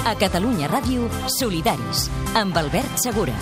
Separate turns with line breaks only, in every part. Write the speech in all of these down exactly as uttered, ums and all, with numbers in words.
A Catalunya Ràdio, Solidaris, amb Albert Segura.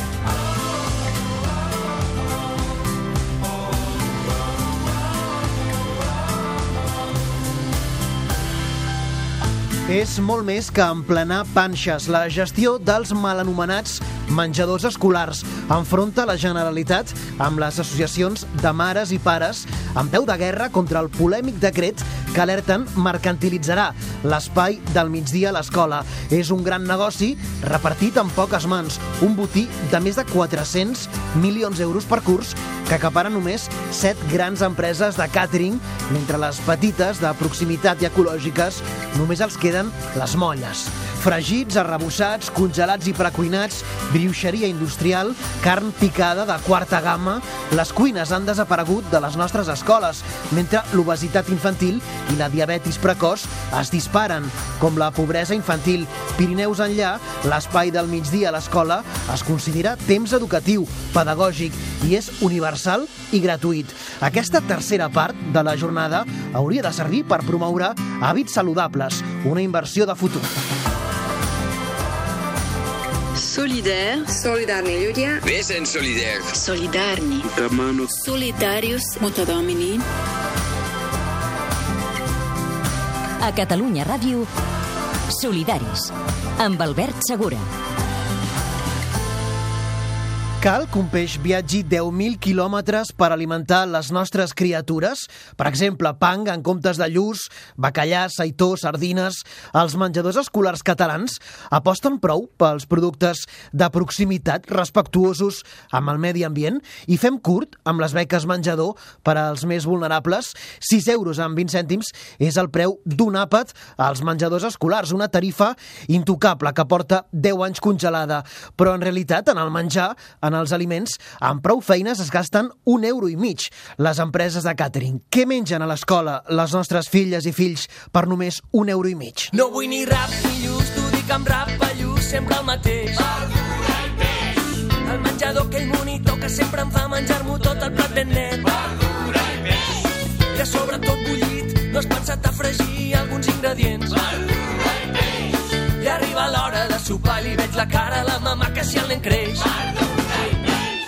És molt més que emplenar panxes. La gestió dels mal anomenats menjadors escolars enfronta la Generalitat amb les associacions de mares i pares en peu de guerra contra el polèmic decret que alerten mercantilitzarà l'espai del migdia a l'escola. És un gran negoci repartit en poques mans, un botí de més de quatre-cents milions d'euros per curs que acaparen només set grans empreses de càtering, mentre les petites de proximitat i ecològiques només els queden les molles. Fregits, arrebossats, congelats i precuinats, brioixeria industrial, carn picada de quarta gamma, les cuines han desaparegut de les nostres escoles, mentre l'obesitat infantil i la diabetis precoç es disparen, com la pobresa infantil. Pirineus enllà, l'espai del migdia a l'escola es considera temps educatiu, pedagògic i és universal i gratuït. Aquesta tercera part de la jornada hauria de servir per promoure hàbits saludables, una inversió de futur.
Solidaire.
Solidarni ľudia.
Vesen solidaire.
Solidarni. Solidarius Multidomini.
A Catalunya Ràdio, Solidaris, amb Albert Segura.
Cal que un peix viatgi deu mil quilòmetres per alimentar les nostres criatures? Per exemple, pang en comptes de lluç, bacallà, seitó, sardines... Els menjadors escolars catalans aposten prou pels productes de proximitat respectuosos amb el medi ambient i fem curt amb les beques menjador per als més vulnerables. sis euros amb vint cèntims és el preu d'un àpat als menjadors escolars, una tarifa intocable que porta deu anys congelada. Però en realitat, en el menjar, en els aliments, amb prou feines es gasten un euro i mig les empreses de càtering. Què mengen a l'escola les nostres filles i fills per només un euro i mig?
No vull ni rap ni lluç, t'ho dic amb rap, pallús, sempre el mateix. Verdura i peix. El menjador, aquell monitor que sempre em fa menjar-m'ho tot el plat ben net. Verdura i peix. I a sobre tot bullit, no has pensat a fregir alguns ingredients. Verdura i peix. I arriba l'hora de sopar, li veig la cara a la mama que si el nen creix. Verdura.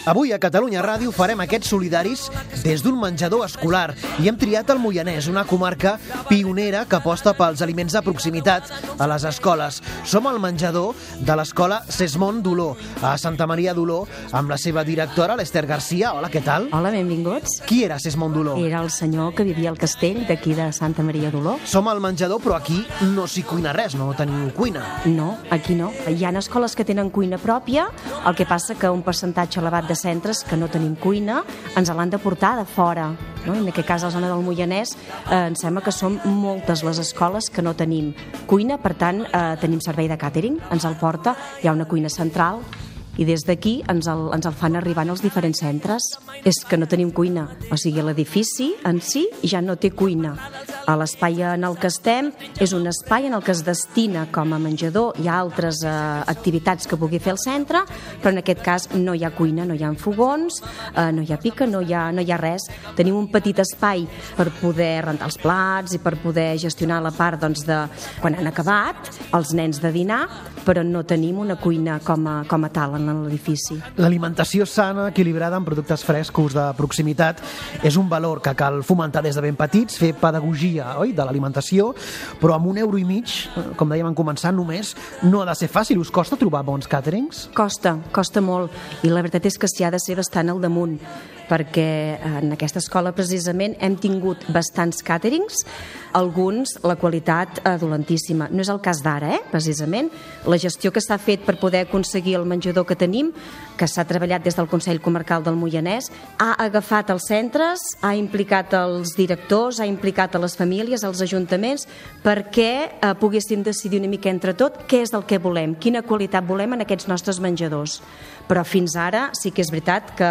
Avui a Catalunya Ràdio farem aquests solidaris des d'un menjador escolar i hem triat el Moianès, una comarca pionera que aposta pels aliments de proximitat a les escoles. Som al menjador de l'escola Sesmont d'Oló, a Santa Maria d'Oló, amb la seva directora, l'Ester Garcia. Hola, què tal?
Hola, benvinguts.
Qui era Sesmont d'Oló?
Era el senyor que vivia al castell d'aquí de Santa Maria d'Oló.
Som al menjador, però aquí no s'hi cuina res, no teniu cuina.
No, aquí no. Hi ha escoles que tenen cuina pròpia, el que passa que un percentatge elevat de centres que no tenim cuina ens l'han de portar de fora, no? En aquest cas a la zona del Moianès eh, em sembla que són moltes les escoles que no tenim cuina, per tant eh, tenim servei de càtering, ens el porta, hi ha una cuina central i des d'aquí ens, el, ens el fan arribant als diferents centres. És que no tenim cuina, o sigui, l'edifici en si ja no té cuina. A l'espai en el que estem és un espai en el que es destina com a menjador. Hi ha altres eh, activitats que pugui fer el centre, però en aquest cas no hi ha cuina, no hi ha fogons, eh, no hi ha pica, no hi ha, no hi ha res. Tenim un petit espai per poder rentar els plats i per poder gestionar la part doncs, de quan han acabat els nens de dinar, però no tenim una cuina com a, com a tal en l'edifici.
L'alimentació sana, equilibrada amb productes frescos de proximitat és un valor que cal fomentar des de ben petits, fer pedagogia, oi, de l'alimentació, però amb un euro i mig, com dèiem en començar, només no ha de ser fàcil. Us costa trobar bons càterings?
Costa, costa molt, i la veritat és que s'hi ha de ser bastant al damunt, perquè en aquesta escola precisament hem tingut bastants càterings, alguns la qualitat eh, dolentíssima. No és el cas d'ara, eh, precisament. La gestió que s'ha fet per poder aconseguir el menjador que tenim, que s'ha treballat des del Consell Comarcal del Moianès, ha agafat els centres, ha implicat els directors, ha implicat a les famílies, als ajuntaments, perquè eh, poguéssim decidir una mica entre tot què és el que volem, quina qualitat volem en aquests nostres menjadors. Però fins ara sí que és veritat que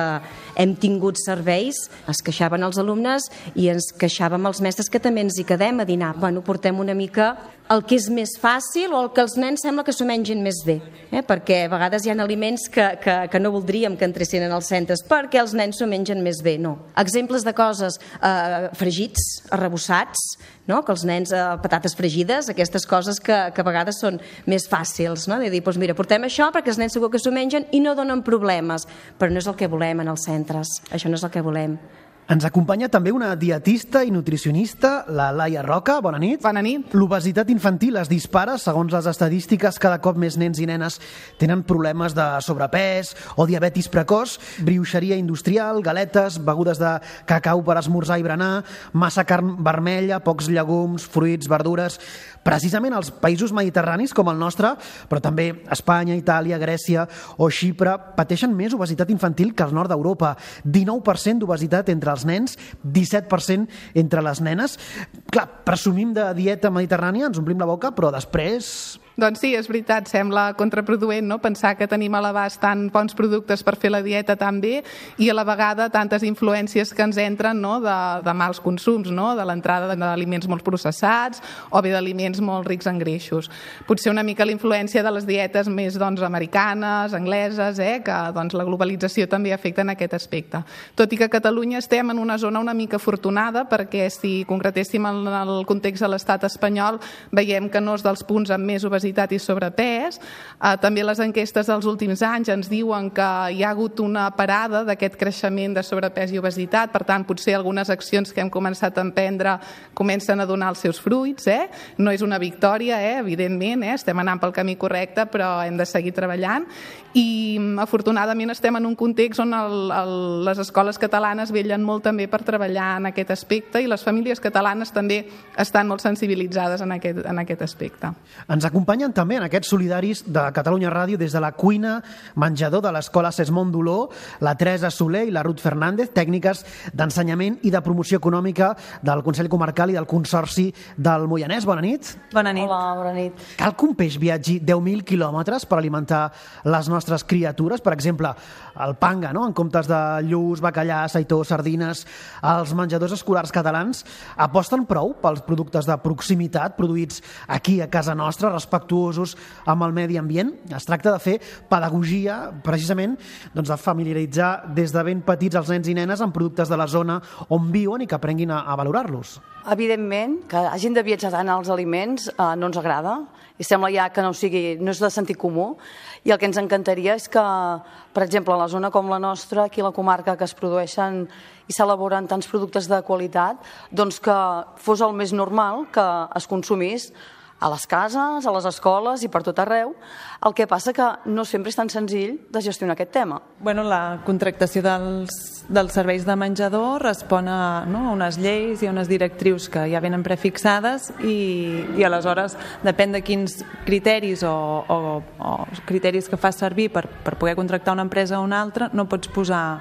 hem tingut serveis, es queixaven els alumnes i ens queixàvem els mestres que també ens hi quedem a dinar. Bueno, portem una mica el que és més fàcil o el que els nens sembla que s'ho mengin més bé, eh? Perquè a vegades hi ha aliments que, que, que no voldríem que entressin en els centres perquè els nens s'ho mengen més bé, no. Exemples de coses, eh, fregits, arrebossats, no? Que els nens, eh, patates fregides, aquestes coses que, que a vegades són més fàcils, no? De dir, doncs mira, portem això perquè els nens segur que s'ho mengen i no donen problemes, però no és el que volem en els centres, això no és el que volem.
Ens acompanya també una dietista i nutricionista, la Laia Roca. Bona nit.
Bona nit.
L'obesitat infantil es dispara. Segons les estadístiques, cada cop més nens i nenes tenen problemes de sobrepès o diabetis precoç, brioixeria industrial, galetes, begudes de cacau per esmorzar i berenar, massa carn vermella, pocs llegums, fruits, verdures. Precisament als països mediterranis com el nostre, però també Espanya, Itàlia, Grècia o Xipre, pateixen més obesitat infantil que al nord d'Europa. dinou per cent d'obesitat entre els nens, disset per cent entre les nenes. Clar, presumim de dieta mediterrània, ens omplim la boca, però després...
Doncs sí, és veritat, sembla contraproduent, no?, pensar que tenim a l'abast tan bons productes per fer la dieta tan bé i a la vegada tantes influències que ens entren, no?, de, de mals consums, no?, de l'entrada d'aliments molt processats o bé d'aliments molt rics en greixos. Potser una mica la influència de les dietes més, doncs, americanes, angleses, eh?, que doncs, la globalització també afecta en aquest aspecte. Tot i que a Catalunya estem en una zona una mica afortunada perquè si concretéssim en el context de l'estat espanyol veiem que no és dels punts amb més obesitat i sobrepès. Eh, també les enquestes dels últims anys ens diuen que hi ha hagut una parada d'aquest creixement de sobrepès i obesitat, per tant, potser algunes accions que hem començat a emprendre comencen a donar els seus fruits. Eh? No és una victòria, eh? Evidentment, eh? Estem anant pel camí correcte, però hem de seguir treballant i afortunadament estem en un context on el, el, les escoles catalanes vellen molt també per treballar en aquest aspecte i les famílies catalanes també estan molt sensibilitzades en aquest, en aquest aspecte.
Ens acompanyen també en aquests solidaris de Catalunya Ràdio des de la cuina menjador de l'Escola Sesmont d'Oló, la Teresa Soler i la Ruth Fernández, tècniques d'ensenyament i de promoció econòmica del Consell Comarcal i del Consorci del Moianès. Bona nit.
Bona nit.
Hola, bona nit.
Cal que un peix viatgi deu mil quilòmetres per alimentar les nostres criatures? Per exemple, el panga, no?, en comptes de lluç, bacallà, seitó, sardines. Els menjadors escolars catalans aposten prou pels productes de proximitat produïts aquí a casa nostra, respectuosos amb el medi ambient. Es tracta de fer pedagogia, precisament, doncs de familiaritzar des de ben petits els nens i nenes amb productes de la zona on viuen i que aprenguin a, a valorar-los.
Evidentment, que hagin de viatjar tant els aliments eh, no ens agrada i sembla ja que no, sigui, no és de sentit comú i el que ens encantaria és que, per exemple, a la zona com la nostra, aquí a la comarca, que es produeixen i s'elaboren tants productes de qualitat, doncs que fos el més normal que es consumís a les cases, a les escoles i per tot arreu. El que passa que no sempre és tan senzill de gestionar aquest tema.
Bueno, la contractació dels, dels serveis de menjador respon a, no, a unes lleis i a unes directrius que ja venen prefixades i, i aleshores depèn de quins criteris o, o, o criteris que fas servir per, per poder contractar una empresa o una altra, no pots posar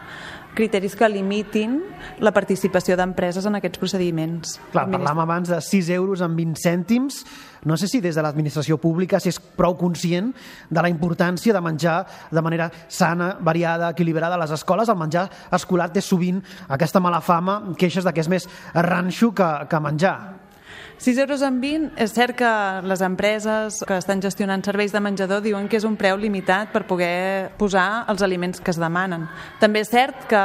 criteris que limitin la participació d'empreses en aquests procediments.
Clar, parlàvem abans de sis euros amb vint cèntims. No sé si des de l'administració pública si és prou conscient de la importància de menjar de manera sana, variada, equilibrada a les escoles. El menjar escolar té sovint aquesta mala fama, queixes de que és més ranxo que, que menjar.
sis euros amb vint, és cert que les empreses que estan gestionant serveis de menjador diuen que és un preu limitat per poder posar els aliments que es demanen. També és cert que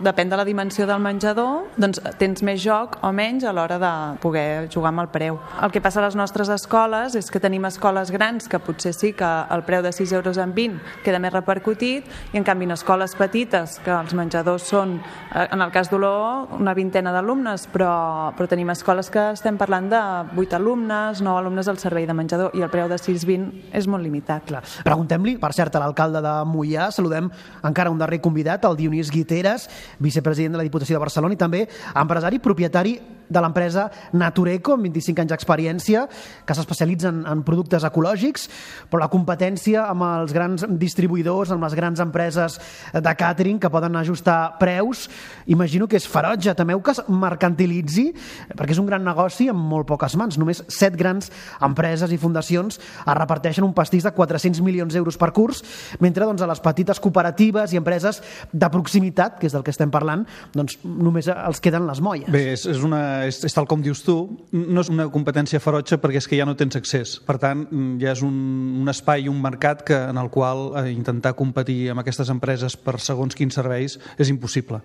depèn de la dimensió del menjador, doncs tens més joc o menys a l'hora de poder jugar amb el preu. El que passa a les nostres escoles és que tenim escoles grans que potser sí que el preu de sis euros amb vint queda més repercutit i en canvi en escoles petites que els menjadors són, en el cas d'Oló, una vintena d'alumnes, però, però tenim escoles que estem parlant de vuit alumnes, nou alumnes al servei de menjador i el preu de sis vint és molt limitat.
Clar. Preguntem-li, per cert, a l'alcalde de Moià, saludem encara un darrer convidat, el Dionís Guiteras, vicepresident de la Diputació de Barcelona i també empresari propietari de l'empresa Natureco, amb vint-i-cinc anys d'experiència, que s'especialitza en, en productes ecològics, però la competència amb els grans distribuïdors, amb les grans empreses de càtering que poden ajustar preus, imagino que és ferotge. Temeu que es mercantilitzi, perquè és un gran negoci amb molt poques mans. Només set grans empreses i fundacions es reparteixen un pastís de quatre-cents milions d'euros per curs, mentre doncs, a les petites cooperatives i empreses de proximitat, que és del que estem parlant, doncs només els queden les molles.
Bé, és, és, una, és, és tal com dius tu, no és una competència ferotge perquè és que ja no tens accés. Per tant, ja és un, un espai, un mercat que, en el qual eh, intentar competir amb aquestes empreses per segons quins serveis és impossible.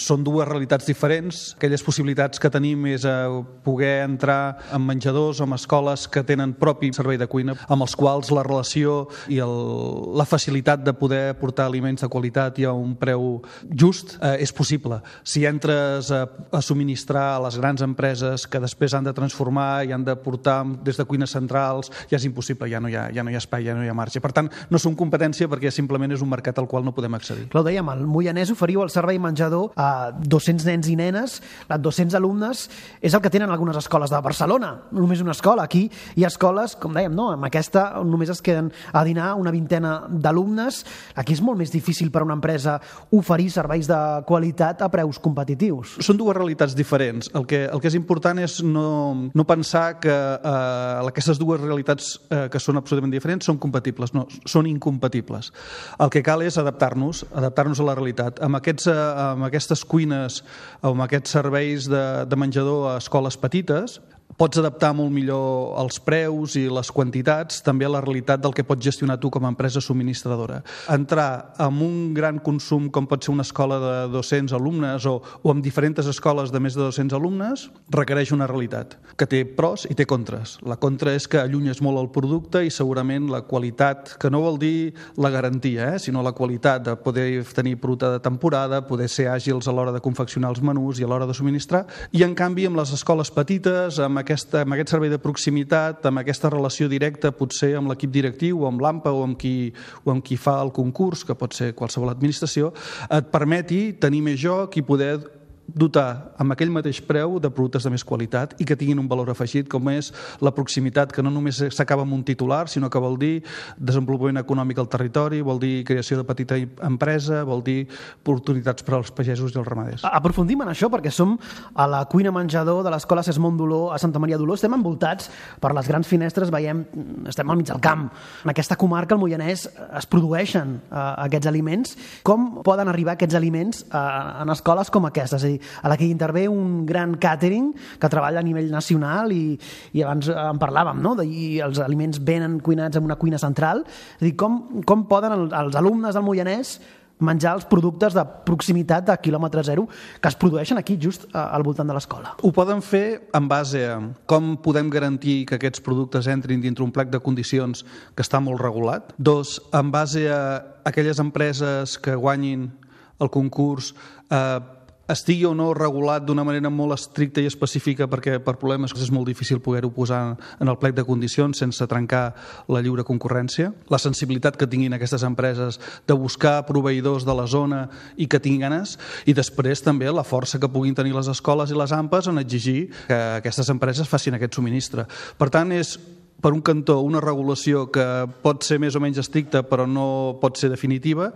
Són dues realitats diferents. Aquelles possibilitats que tenim és a poder entrar en menjadors o en escoles que tenen propi servei de cuina, amb els quals la relació i el, la facilitat de poder portar aliments de qualitat i a un preu just eh, és possible. Si entres a, a subministrar a les grans empreses que després han de transformar i han de portar des de cuines centrals, ja és impossible, ja no hi ha, ja no hi ha espai, ja no hi ha marge. Per tant, no som competència perquè simplement és un mercat al qual no podem accedir.
Clar, ho dèiem, al Moianès oferiu el servei menjador a dos-cents nens i nenes, a dos-cents alumnes, és el que tenen algunes escoles de Barcelona, només una escola. Aquí hi ha escoles, com dèiem, no? Amb aquesta només es queden a dinar una vintena d'alumnes. Aquí és molt més difícil per a una empresa oferir serveis de qualitat a preus competitius.
Són dues realitats diferents. El que, el que és important és no, no pensar que eh, aquestes dues realitats eh, que són absolutament diferents són compatibles. No, són incompatibles. El que cal és adaptar-nos, adaptar-nos a la realitat. Amb, aquests, eh, amb aquestes cuines, amb aquests serveis de, de menjador a escoles petites, pots adaptar molt millor els preus i les quantitats també a la realitat del que pots gestionar tu com a empresa subministradora. Entrar en un gran consum com pot ser una escola de dos-cents alumnes o, o amb diferents escoles de més de dos-cents alumnes requereix una realitat que té pros i té contres. La contra és que allunyes molt el producte i segurament la qualitat, que no vol dir la garantia, eh, sinó la qualitat de poder tenir producte de temporada, poder ser àgils a l'hora de confeccionar els menús i a l'hora de subministrar. I en canvi amb les escoles petites, amb Aquesta, amb aquest servei de proximitat, amb aquesta relació directa potser amb l'equip directiu o amb l'A M P A o amb, qui, o amb qui fa el concurs, que pot ser qualsevol administració, et permeti tenir més joc i poder dotar amb aquell mateix preu de productes de més qualitat i que tinguin un valor afegit com és la proximitat, que no només s'acaba amb un titular, sinó que vol dir desenvolupament econòmic al territori, vol dir creació de petita empresa, vol dir oportunitats per als pagesos i els ramaders.
Aprofundim en això perquè som a la cuina menjador de l'Escola Sesmont d'Oló a Santa Maria d'Oló. Estem envoltats per les grans finestres, veiem, estem al mig del camp. En aquesta comarca, al Moianès, es produeixen uh, aquests aliments. Com poden arribar aquests aliments uh, en escoles com aquestes? És a dir, a la que hi intervé un gran càtering que treballa a nivell nacional i, i abans en parlàvem, no? I els aliments venen cuinats en una cuina central. És a dir, com, com poden els, els alumnes del Moianès menjar els productes de proximitat de quilòmetre zero que es produeixen aquí just al voltant de l'escola?
Ho poden fer en base a com podem garantir que aquests productes entrin dintre un plec de condicions que està molt regulat. Dos, en base a aquelles empreses que guanyin el concurs eh, estigui o no regulat d'una manera molt estricta i específica perquè per problemes és molt difícil poder-ho posar en el plec de condicions sense trencar la lliure concurrència. La sensibilitat que tinguin aquestes empreses de buscar proveïdors de la zona i que tinguin ganes, i després també la força que puguin tenir les escoles i les A M P As en exigir que aquestes empreses facin aquest subministre. Per tant, és per un cantó una regulació que pot ser més o menys estricta però no pot ser definitiva,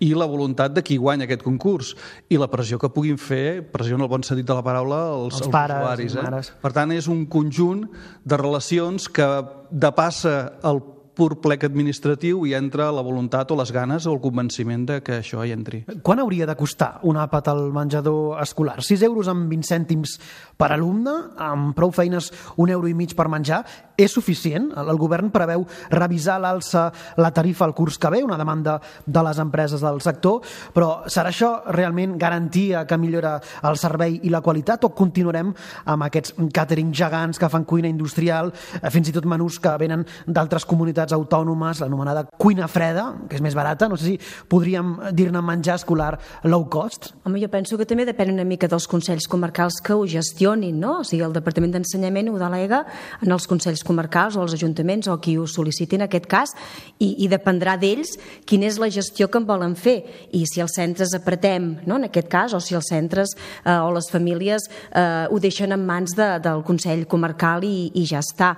i la voluntat de qui guanya aquest concurs i la pressió que puguin fer, pressió en el bon sentit de la paraula, els, els, els pares, usuaris. Eh? Per tant, és un conjunt de relacions que depassa el pur plec administratiu i entra la voluntat o les ganes o el convenciment de que això hi entri.
Quan hauria de costar un àpat al menjador escolar? sis euros amb vint cèntims per alumne, amb prou feines un euro i mig per menjar, és suficient? El govern preveu revisar l'alça la tarifa al curs que ve, una demanda de les empreses del sector, però serà això realment garantia que millora el servei i la qualitat, o continuarem amb aquests càtering gegants que fan cuina industrial, fins i tot menús que venen d'altres comunitats unitats autònomes, l'anomenada cuina freda, que és més barata. No sé si podríem dir-ne menjar escolar low cost.
Home, jo penso que també depèn una mica dels consells comarcals que ho gestionin, no? O sigui, el Departament d'Ensenyament ho delega en els consells comarcals o els ajuntaments o qui ho sol·liciti en aquest cas, i, i dependrà d'ells quina és la gestió que en volen fer, i si els centres apretem, no? En aquest cas, o si els centres eh, o les famílies eh, ho deixen en mans de, del Consell Comarcal i, i ja està.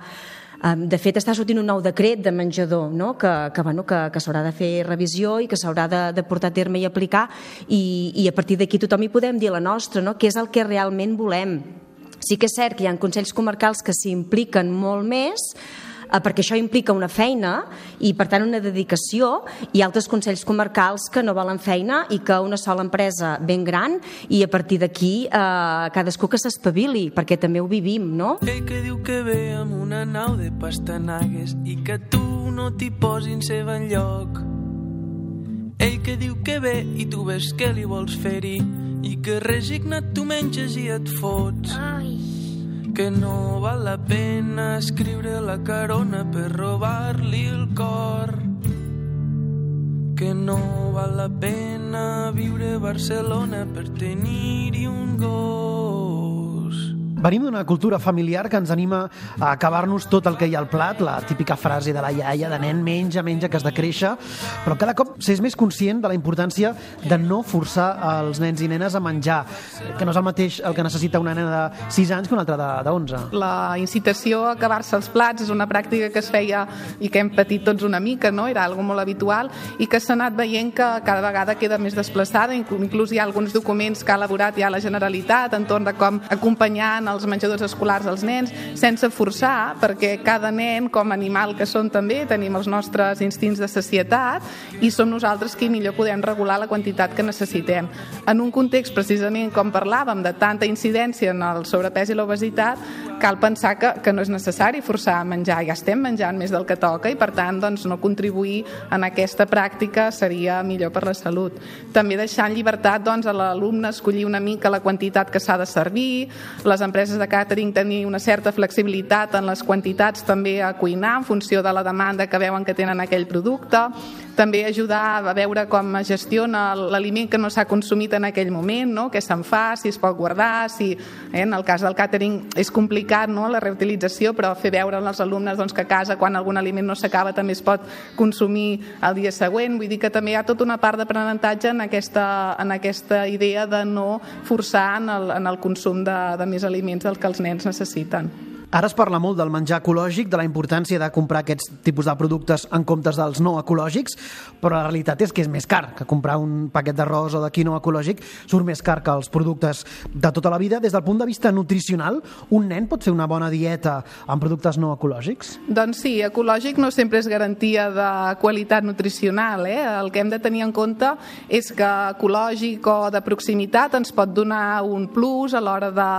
De fet, està sortint un nou decret de menjador, no? que, que, bueno, que, que s'haurà de fer revisió i que s'haurà de, de portar a terme i aplicar, i, i a partir d'aquí tothom hi podem dir la nostra, no? Què és el que realment volem. Sí que és cert que hi ha consells comarcals que s'hi impliquen molt més, perquè això implica una feina i, per tant, una dedicació, i altres consells comarcals que no volen feina i que una sola empresa ben gran, i a partir d'aquí eh, cadascú que s'espavili, perquè també ho vivim, no?
Ell que diu que ve amb una nau de pastanagues i que tu no t'hi posin seva enlloc. Ell que diu que ve i tu ves que li vols fer-hi i que resignat tu menges i et fots. Ai. Que no val la pena escriure la carona per robar-li el cor. Que no val la pena viure a Barcelona per tenir-hi un gos.
Venim d'una cultura familiar que ens anima a acabar-nos tot el que hi ha al plat, la típica frase de la iaia, de nen, menja, menja, que has de créixer, però cada cop s'és més conscient de la importància de no forçar els nens i nenes a menjar, que no és el mateix el que necessita una nena de sis anys que una altra de onze.
La incitació a acabar-se els plats és una pràctica que es feia i que hem patit tots una mica, no? Era algo molt habitual i que s'ha anat veient que cada vegada queda més desplaçada. Inclús hi ha alguns documents que ha elaborat ja la Generalitat entorn de com acompanyar els menjadors escolars als nens sense forçar, perquè cada nen, com a animal que són també, tenim els nostres instints de sacietat i som nosaltres qui millor podem regular la quantitat que necessitem. En un context, precisament, com parlàvem, de tanta incidència en el sobrepès i l'obesitat, cal pensar que, que no és necessari forçar a menjar. Ja estem menjant més del que toca i, per tant, doncs, no contribuir en aquesta pràctica seria millor per la salut. També deixar en llibertat doncs, a l'alumne escollir una mica la quantitat que s'ha de servir, les empreses de càtering tenir una certa flexibilitat en les quantitats també a cuinar en funció de la demanda que veuen que tenen aquell producte, també ajudar a veure com es gestiona l'aliment que no s'ha consumit en aquell moment, no? Què se'n fa, si es pot guardar, si eh, en el cas del càtering és complicat, no? La reutilització, però fer veure als alumnes doncs, que a casa quan algun aliment no s'acaba també es pot consumir el dia següent. Vull dir que també hi ha tota una part d'aprenentatge en aquesta, en aquesta idea de no forçar en el, en el consum de, de més aliments del que els nens necessiten.
Ara es parla molt del menjar ecològic, de la importància de comprar aquests tipus de productes en comptes dels no ecològics, però la realitat és que és més car, que comprar un paquet d'arròs o de quinoa ecològic surt més car que els productes de tota la vida. Des del punt de vista nutricional, un nen pot fer una bona dieta amb productes no ecològics?
Doncs sí, ecològic no sempre és garantia de qualitat nutricional. Eh? El que hem de tenir en compte és que ecològic o de proximitat ens pot donar un plus a l'hora de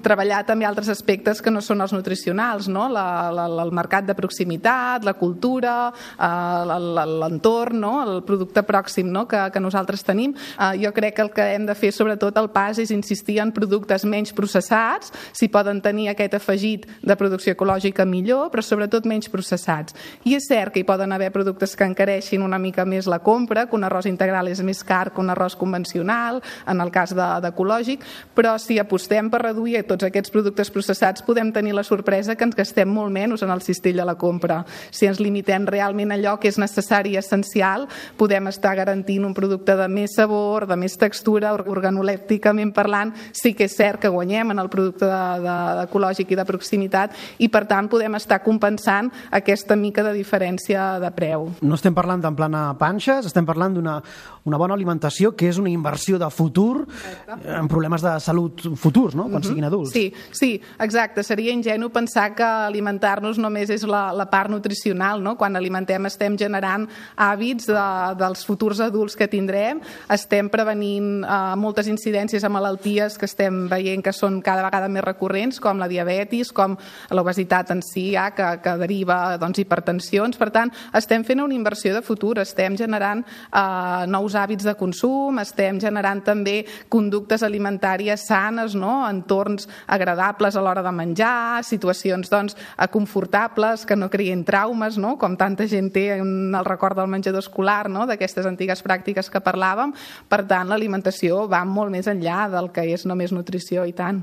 treballar també altres aspectes que no són els nutricionals, no? La, la, el mercat de proximitat, la cultura, eh, l'entorn, no? El producte pròxim, no? que, que nosaltres tenim. Eh, jo crec que el que hem de fer sobretot el pas és insistir en productes menys processats, si poden tenir aquest afegit de producció ecològica millor, però sobretot menys processats. I és cert que hi poden haver productes que encareixin una mica més la compra, que un arròs integral és més car que un arròs convencional, en el cas d'ecològic, però si apostem per reduir tots aquests productes processats podem tenir la sorpresa que ens gastem molt menys en el cistell de la compra. Si ens limitem realment a allò que és necessari i essencial, podem estar garantint un producte de més sabor, de més textura, organolèpticament parlant. Sí que és cert que guanyem en el producte de, de, ecològic i de proximitat i, per tant, podem estar compensant aquesta mica de diferència de preu.
No estem parlant d'emplenar panxes, estem parlant d'una una bona alimentació que és una inversió de futur en problemes de salut futurs, no? Quan uh-huh. siguin adults.
Sí, sí, exacte. Seria ingenu pensar que alimentar-nos només és la, la part nutricional, no? Quan alimentem estem generant hàbits de, dels futurs adults que tindrem, estem prevenint eh, moltes incidències a malalties que estem veient que són cada vegada més recurrents, com la diabetis, com l'obesitat en si, ja, que, que deriva doncs, hipertensions. Per tant, estem fent una inversió de futur, estem generant eh, nous hàbits de consum, estem generant també conductes alimentàries sanes, no? Entorns agradables a l'hora de menjar, situacions doncs, confortables, que no creïn traumes, no? Com tanta gent té en el record del menjador escolar, no? D'aquestes antigues pràctiques que parlàvem. Per tant, l'alimentació va molt més enllà del que és només nutrició, i tant.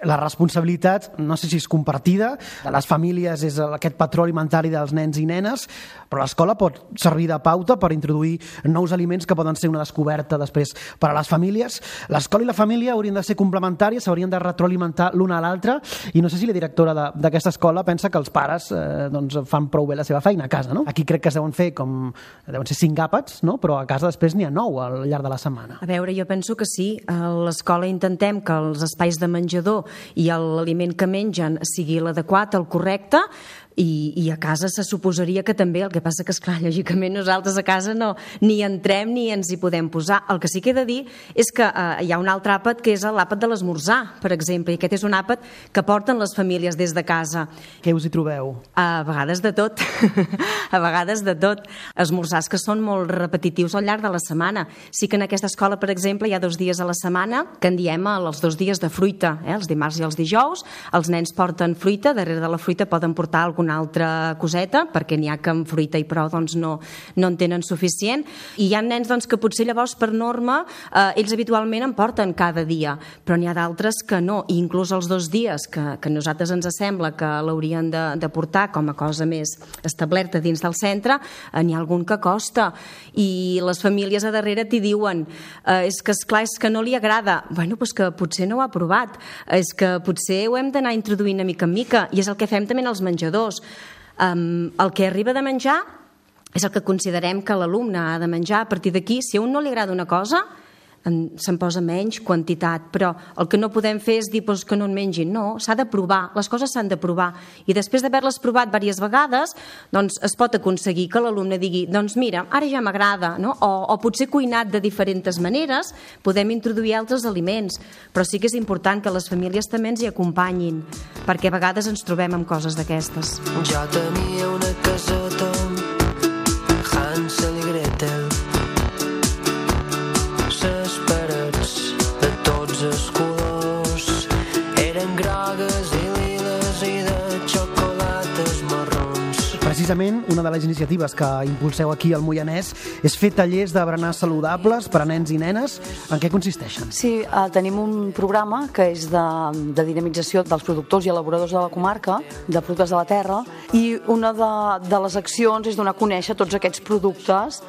La responsabilitat, no sé si és compartida, de les famílies és aquest patró alimentari dels nens i nenes, però l'escola pot servir de pauta per introduir nous aliments que poden ser una descoberta després per a les famílies. L'escola i la família haurien de ser complementàries, s'haurien de retroalimentar l'una a l'altra, i no sé si la directora d'aquesta escola pensa que els pares eh, doncs, fan prou bé la seva feina a casa, no? Aquí crec que es deuen fer com deuen ser cinc àpats, no? Però a casa després n'hi ha nou al llarg de la setmana.
A veure, jo penso que sí. A l'escola intentem que els espais de menjador i l'aliment que mengen sigui l'adequat, el correcte, i, i a casa se suposaria que també, el que passa que, esclar, lògicament nosaltres a casa no ni entrem ni ens hi podem posar. El que sí que he de dir és que eh, hi ha un altre àpat que és l'àpat de l'esmorzar, per exemple, i aquest és un àpat que porten les famílies des de casa.
Què us hi trobeu?
A vegades de tot, a vegades de tot. Esmorzars que són molt repetitius al llarg de la setmana. Sí que en aquesta escola, per exemple, hi ha dos dies a la setmana que en diem els dos dies de fruita, eh? Els dimarts i els dijous. Els nens porten fruita, darrere de la fruita poden portar alguna altra coseta, perquè n'hi ha que amb fruita i prou doncs, no, no en tenen suficient. I hi ha nens doncs, que potser llavors per norma eh, ells habitualment en porten cada dia, però n'hi ha d'altres que no, i inclús els dos dies que, que a nosaltres ens sembla que l'haurien de, de portar com a cosa més establerta dins del centre, eh, n'hi ha algun que costa, i les famílies a darrere t'hi diuen eh, és que esclar, és que no li agrada. Bueno, doncs que potser no ho ha provat, és que potser ho hem d'anar introduint a mica en mica, i és el que fem també en els menjadors. Um, el que arriba de menjar és el que considerem que l'alumne ha de menjar. A partir d'aquí, si a un no li agrada una cosa, se'n posa menys quantitat, però el que no podem fer és dir pues, que no en mengin. No, s'ha de provar, les coses s'han de provar, i després d'haver-les provat diverses vegades doncs es pot aconseguir que l'alumne digui doncs mira, ara ja m'agrada, no? o, o potser cuinat de diferents maneres podem introduir altres aliments, però sí que és important que les famílies també ens hi acompanyin, perquè a vegades ens trobem amb coses d'aquestes.
Jo tenia una caseta Hansel i Gretel, ses parets de tots els colors eren grogues i liles i de xocolates marrons.
Precisament, una de les iniciatives que impulseu aquí al Moianès és fer tallers de berenars saludables per a nens i nenes. En què consisteixen?
Sí, eh, tenim un programa que és de, de dinamització dels productors i elaboradors de la comarca, de productes de la terra, i una de, de les accions és donar a conèixer tots aquests productes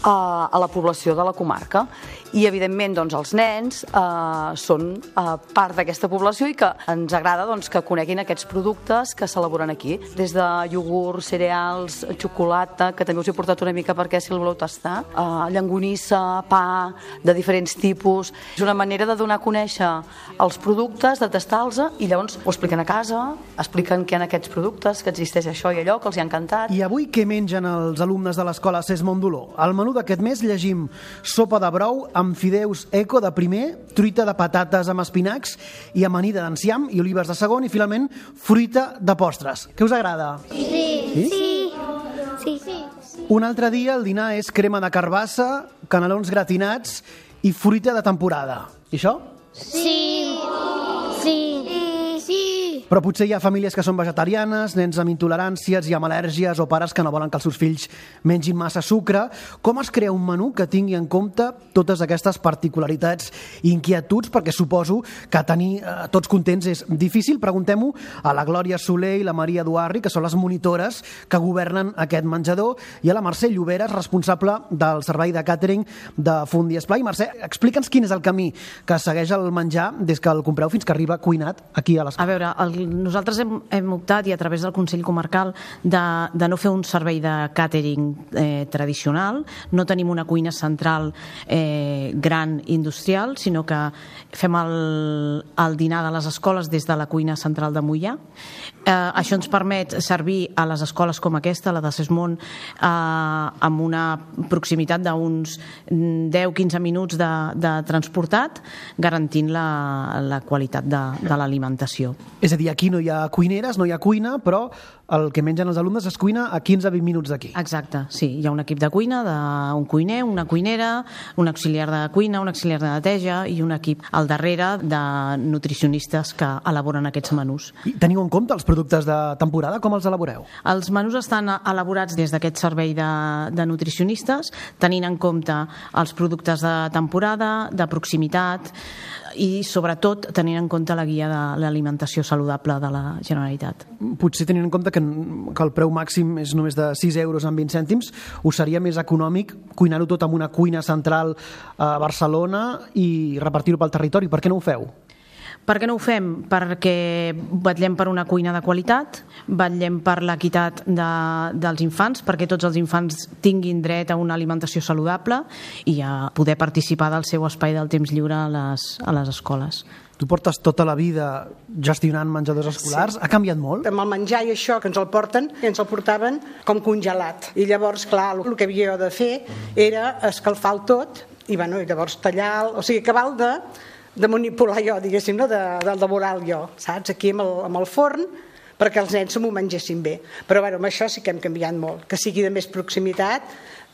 a, a la població de la comarca. I, evidentment, doncs, els nens eh, són eh, part d'aquesta població i que ens agrada doncs, que coneguin aquests productes que s'elaboren aquí. Des de iogurt, cereals, xocolata, que també us he portat una mica perquè si el voleu tastar, eh, llangonissa, pa, de diferents tipus. És una manera de donar a conèixer els productes, de tastar-los, i llavors ho expliquen a casa, expliquen què hi ha aquests productes, que existeix això i allò, que els hi ha encantat.
I avui què mengen els alumnes de l'escola Cés Mondoló? Al menú d'aquest mes llegim sopa de brou amb fideus eco de primer, truita de patates amb espinacs i amanida d'enciam i olives de segon, i finalment fruita de postres. Què us agrada?
Sí.
Sí?
Sí. Sí. Sí.
Un altre dia el dinar és crema de carbassa, canelons gratinats i fruita de temporada. I això?
Sí. Sí. Sí.
Però potser hi ha famílies que són vegetarianes, nens amb intoleràncies i amb al·lèrgies, o pares que no volen que els seus fills mengin massa sucre. Com es crea un menú que tingui en compte totes aquestes particularitats i inquietuds? Perquè suposo que tenir eh, tots contents és difícil. Preguntem-ho a la Glòria Soler i la Maria Duarri, que són les monitores que governen aquest menjador, i a la Mercè Lloberes, responsable del servei de càtering de Fundi Esplai. Mercè, explica'ns quin és el camí que segueix el menjar des que el compreu fins que arriba cuinat aquí a l'escola.
A veure, el nosaltres hem, hem optat, i a través del Consell Comarcal, de, de no fer un servei de càtering eh, tradicional. No tenim una cuina central eh, gran industrial, sinó que fem el, el dinar de les escoles des de la cuina central de Moià. Eh, això ens permet servir a les escoles com aquesta, la de Sesmont, eh, amb una proximitat d'uns deu a quinze minuts de, de transportat, garantint la, la qualitat de, de l'alimentació.
És a dir, aquí no hi ha cuineres, no hi ha cuina, però el que mengen els alumnes es cuina a quinze a vint minuts d'aquí.
Exacte, sí. Hi ha un equip de cuina, d'un cuiner, una cuinera, un auxiliar de cuina, un auxiliar de neteja i un equip al darrere de nutricionistes que elaboren aquests menús.
I teniu en compte els productes de temporada? Com els elaboreu?
Els menús estan elaborats des d'aquest servei de, de nutricionistes, tenint en compte els productes de temporada, de proximitat i, sobretot, tenint en compte la guia de l'alimentació saludable de la Generalitat.
Potser tenint en compte que, que el preu màxim és només de sis euros amb vint cèntims, us seria més econòmic cuinar-ho tot amb una cuina central a Barcelona i repartir-ho pel territori. Per què no ho feu?
Per què no ho fem? Perquè vetllem per una cuina de qualitat, vetllem per l'equitat de, dels infants, perquè tots els infants tinguin dret a una alimentació saludable i a poder participar del seu espai del temps lliure a les, a les escoles.
Tu portes tota la vida gestionant menjadors escolars. Sí. Ha canviat molt?
Amb el menjar i això que ens el porten, ens el portaven com congelat. I llavors, clar, el que havia de fer era escalfar-ho tot i, bueno, i llavors tallar, o sigui, acabar de... de manipular jo, diguéssim, no? de, de laborar jo, saps? Aquí amb el, amb el forn, perquè els nens s'ho mengessin bé. Però bueno, amb això sí que hem canviat molt, que sigui de més proximitat,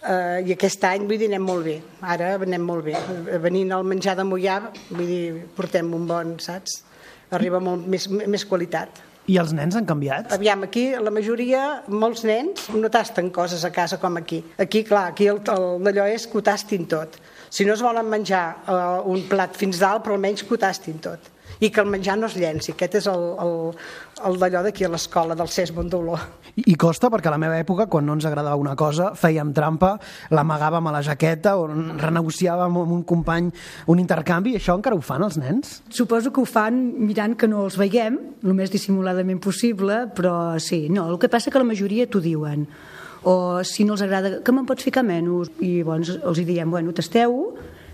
eh, i aquest any vull dir, anem molt bé. Ara anem molt bé. Venint al menjar de Moià, vull dir, portem un bon, saps? Arriba molt més, més qualitat.
I els nens han canviat?
Aviam, aquí la majoria, molts nens no tasten coses a casa com aquí. Aquí, clar, aquí el, el, d'allò és que ho tastin tot. Si no es volen menjar uh, un plat fins dalt, però almenys que ho tastin tot. I que el menjar no es llenci. Aquest és el, el, el d'allò d'aquí a l'escola, del Sesmont d'Olor.
I, I costa, perquè a la meva època, quan no ens agradava una cosa, fèiem trampa, l'amagàvem a la jaqueta o renegociàvem amb un company un intercanvi. Això encara ho fan els nens?
Suposo que ho fan mirant que no els veiem, el més dissimuladament possible, però sí, no, el que passa que la majoria t'ho diuen. O si no els agrada, que me'n pots ficar menys? I llavors els hi diem, bueno, tasteu-ho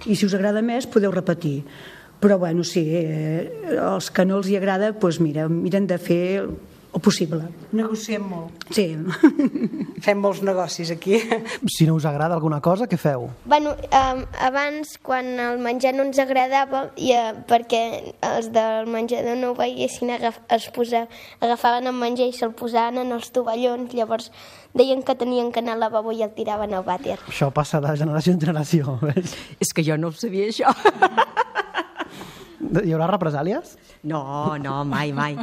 i si us agrada més podeu repetir. Però bueno, sí, eh, els que no els hi agrada, doncs mira, miren de fer el possible.
Negociem molt.
Sí.
Fem molts negocis aquí.
Si no us agrada alguna cosa, què feu?
Bueno, um, abans, quan el menjar no ens agradava, i, uh, perquè els del menjador no ho veiessin, agaf es posa, agafaven el menjar i se'l posaven en els tovallons, llavors deien que tenien que anar al lavabo i el tiraven al vàter.
Això passa de generació en generació, ves?
És que jo no ho sabia, això.
Hi haurà represàlies?
No, no, mai, mai.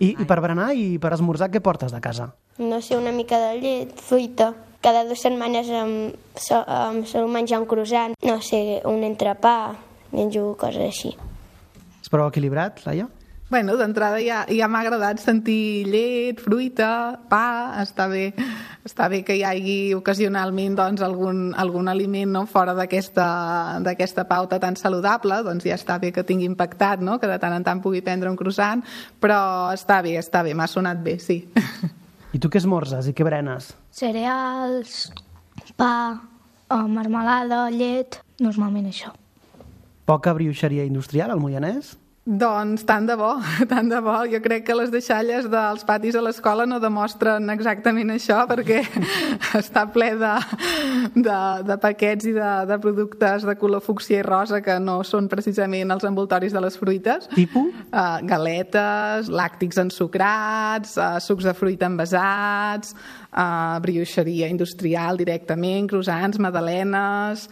I, i per berenar i per esmorzar, què portes de casa?
No sé, una mica de llet, fruita. Cada dues setmanes em, so, em sol menjar un croissant. No sé, un entrepà, menjo coses així.
És prou equilibrat, Laia?
Bueno, d'entrada ja, ja m'ha agradat sentir llet, fruita, pa, està bé, està bé que hi hagi ocasionalment doncs, algun, algun aliment no, fora d'aquesta pauta tan saludable, doncs ja està bé que tingui impactat, no? Que de tant en tant pugui prendre un croissant, però està bé, està bé, m'ha sonat bé, sí.
I tu què esmorzes i què berenes?
Cereals, pa, marmelada, llet, normalment això.
Poca brioixeria industrial al Moianès?
Doncs tant de bo, tant de bo. Jo crec que les deixalles dels patis a l'escola no demostren exactament això, perquè està ple de, de, de paquets i de, de productes de color fúcsia i rosa que no són precisament els envoltoris de les fruites.
Tipus?
Uh, galetes, làctics ensucrats, uh, sucs de fruita envasats, uh, brioixeria industrial directament, croissants, magdalenes...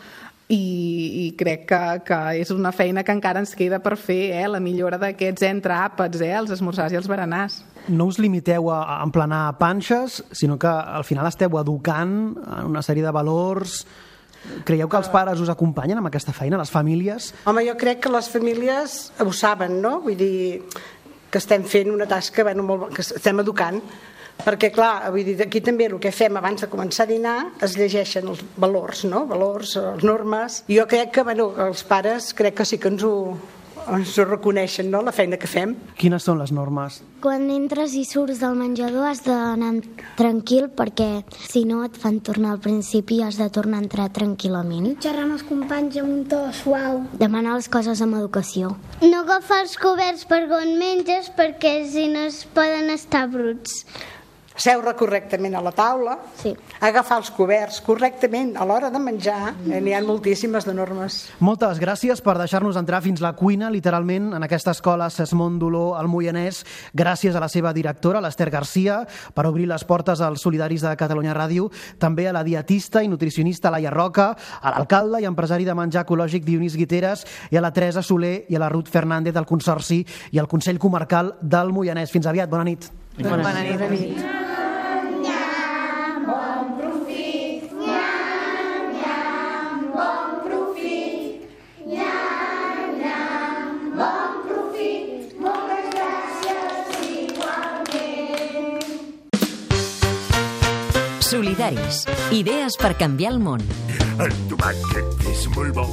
I, i crec que, que és una feina que encara ens queda per fer, eh? La millora d'aquests entreàpats, eh? Els esmorzars i els berenars.
No us limiteu a emplenar panxes, sinó que al final esteu educant en una sèrie de valors. Creieu que els pares us acompanyen amb aquesta feina, les famílies?
Home, jo crec que les famílies ho saben, no? Vull dir que estem fent una tasca, bueno, molt, que estem educant. Perquè, clar, vull dir, aquí també el que fem abans de començar a dinar es llegeixen els valors, no? Valors, les normes. I jo crec que, bueno, els pares crec que sí que ens ho, ens ho reconeixen, no?, la feina que fem.
Quines són les normes?
Quan entres i surts del menjador has d'anar tranquil, perquè si no et fan tornar al principi i has de tornar a entrar tranquil·lament.
Xerrar amb els companys amb un to suau.
Demanar les coses amb educació.
No agafar els coberts per on menges, perquè si no es poden estar bruts.
Seure correctament a la taula,
sí.
Agafar els coberts correctament a l'hora de menjar, eh, n'hi ha moltíssimes de normes.
Moltes gràcies per deixar-nos entrar fins la cuina, literalment, en aquesta escola Sesmont d'Oló al Moianès. Gràcies a la seva directora, l'Ester Garcia, per obrir les portes als solidaris de Catalunya Ràdio, també a la dietista i nutricionista Laia Roca, a l'alcalde i empresari de menjar ecològic Dionís Guiteres i a la Teresa Soler i a la Ruth Fernández del Consorci i al Consell Comarcal del Moianès. Fins aviat, bona nit.
Bona, bona nit. Bona nit.
Solidaris. Idees per canviar el món.
El tomàquet és molt bo,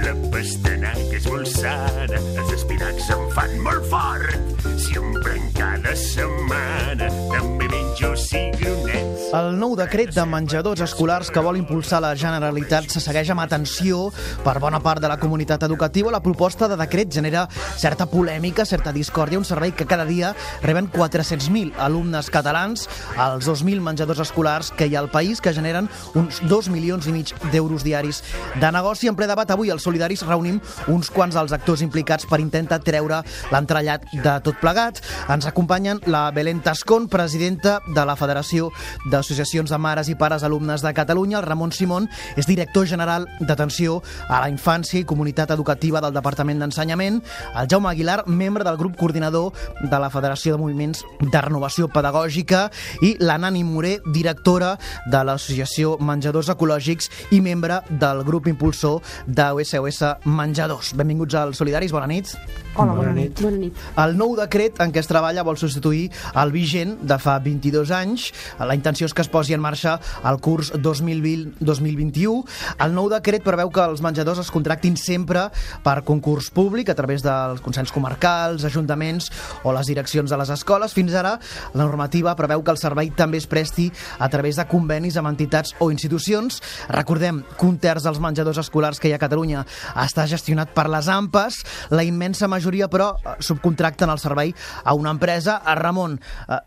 la pastanaga és molt sana, els espinacs em fan molt fort. Si em prenc cada setmana, també menjo cigronets.
El nou decret de menjadors escolars que vol impulsar la Generalitat se segueix amb atenció per bona part de la comunitat educativa. La proposta de decret genera certa polèmica, certa discòrdia, un servei que cada dia reben quatre-cents mil alumnes catalans, als dos mil menjadors escolars que hi ha al país, que generen uns dos milions i mig d'euros diaris de negoci. En ple debat avui els solidaris reunim uns quants dels actors implicats per intentar treure l'entrellat de tot plegat. Ens acompanyen la Belén Tascón, presidenta de la Federació d'Associacions de Mares i Pares Alumnes de Catalunya. El Ramon Simón és director general d'Atenció a la Infància i Comunitat Educativa del Departament d'Ensenyament. El Jaume Aguilar, membre del grup coordinador de la Federació de Moviments de Renovació Pedagògica, i la Nani Moré, directora de l'Associació Menjadors Ecològics i membre del grup impulsor de S O S Menjadors. Benvinguts als Solidaris, bona nit.
Hola, bona nit. Bona nit.
El nou decret en què es treballa vol substituir el vigent de fa vint-i-dos anys. La intenció és que es posi en marxa el curs dos mil vint dos mil vint-i-u. El nou decret preveu que els menjadors es contractin sempre per concurs públic a través dels consells comarcals, ajuntaments o les direccions de les escoles. Fins ara, la normativa preveu que el servei també es presti a través de convenis amb entitats o institucions. Recordem que un terç dels menjadors escolars que hi ha a Catalunya està gestionat per les A M P Es. La immensa majoria, però, subcontracten el servei a una empresa. A Ramon,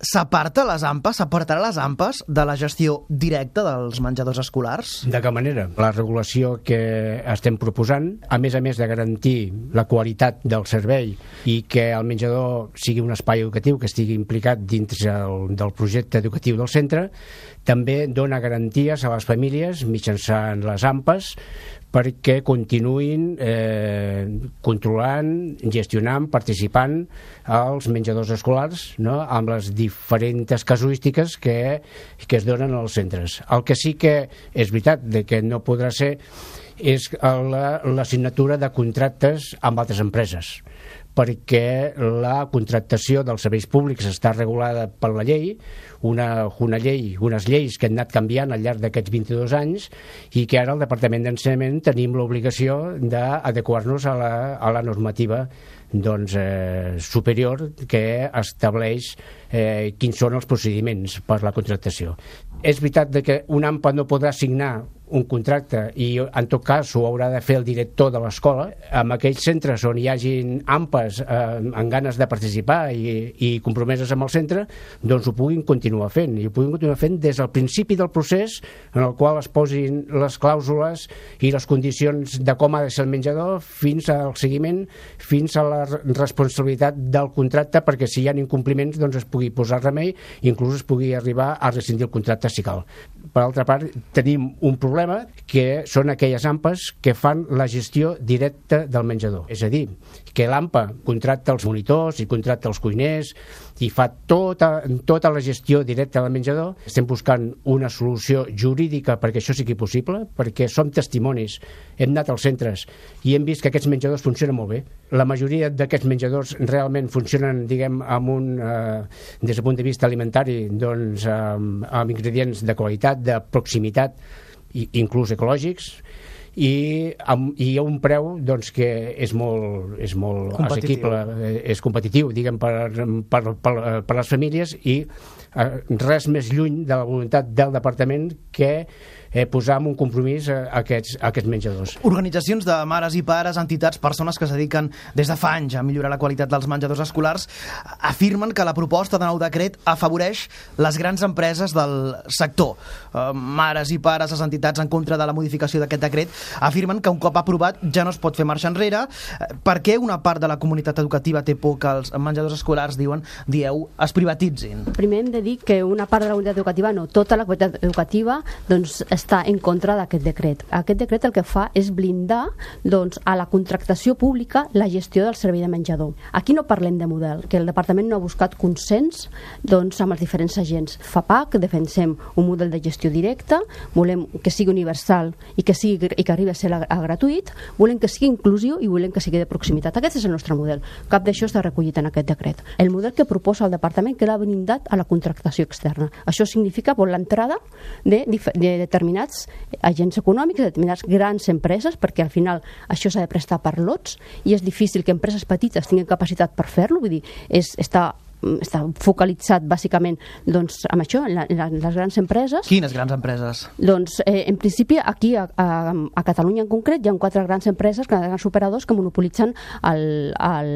s'aparta les A M P Es, s'apartarà les A M P Es de la gestió directa dels menjadors escolars?
De cap manera. La regulació que estem proposant, a més a més de garantir la qualitat del servei i que el menjador sigui un espai educatiu que estigui implicat dins el, del projecte educatiu del centre, també dona garanties a les famílies mitjançant les A M P Es perquè continuïn eh, controlant, gestionant, participant als menjadors escolars, no?, amb les diferents casuístiques que, que es donen als centres. El que sí que és veritat de que no podrà ser és la, la signatura de contractes amb altres empreses, perquè la contractació dels serveis públics està regulada per la llei, una, una llei, unes lleis que han anat canviant al llarg d'aquests vint-i-dos anys i que ara al Departament d'Ensenyament tenim l'obligació d'adequar-nos a, la, a la normativa doncs, eh, superior que estableix eh, quins són els procediments per la contractació. És veritat de que un A M P A no podrà signar un contracte i en tot cas ho haurà de fer el director de l'escola. En aquells centres on hi hagin A M P Es eh, amb ganes de participar i, i compromeses amb el centre, doncs ho puguin continuar fent, i ho puguin continuar fent des del principi del procés, en el qual es posin les clàusules i les condicions de com ha de ser el menjador, fins al seguiment, fins a la responsabilitat del contracte, perquè si hi ha incompliments doncs es pugui posar remei, inclús es pugui arribar a rescindir el contracte si cal. Per altra part, tenim un problema que són aquelles A M P Es que fan la gestió directa del menjador. És a dir, que l'A M P A contracta els monitors i contracta els cuiners i fa tota, tota la gestió directa del menjador. Estem buscant una solució jurídica perquè això sigui possible, perquè som testimonis. Hem anat als centres i hem vist que aquests menjadors funcionen molt bé. La majoria d'aquests menjadors realment funcionen, diguem, amb un, eh, des del punt de vista alimentari, doncs, amb, amb ingredients de qualitat, de proximitat, inclús ecològics, i, amb, i a un preu doncs, que és molt, és molt assequible, és competitiu, diguem, per, per, per, per les famílies, i eh, res més lluny de la voluntat del departament que eh, posar en un compromís a aquests, a aquests menjadors.
Organitzacions de mares i pares, entitats, persones que es dediquen des de fa anys a millorar la qualitat dels menjadors escolars, afirmen que la proposta de nou decret afavoreix les grans empreses del sector. Eh, mares i pares, les entitats en contra de la modificació d'aquest decret, afirmen que un cop aprovat ja no es pot fer marxa enrere. Eh, per què una part de la comunitat educativa té por que els menjadors escolars, diuen, dieu, es privatitzin?
Primer hem de dir que una part de la comunitat educativa, no, tota la comunitat educativa, doncs, està en contra d'aquest decret. Aquest decret el que fa és blindar, doncs, a la contractació pública la gestió del servei de menjador. Aquí no parlem de model, que el departament no ha buscat consens, doncs, amb els diferents agents. FAPAC defensem un model de gestió directa, volem que sigui universal i que, sigui, i que arribi a ser a, a gratuït, volem que sigui inclusiu i volem que sigui de proximitat. Aquest és el nostre model. Cap d'això està recollit en aquest decret. El model que proposa el departament queda blindat a la contractació externa. Això significa por l'entrada de, de determinats agents econòmics, de determinades grans empreses, perquè al final això s'ha de prestar per lots i és difícil que empreses petites tinguin capacitat per fer-lo, vull dir, és, està està focalitzat bàsicament doncs, amb això, en, la, en les grans empreses.
Quines grans empreses?
Doncs, eh, en principi, aquí a, a, a Catalunya en concret hi ha quatre grans empreses, grans operadors que monopolitzen el, el,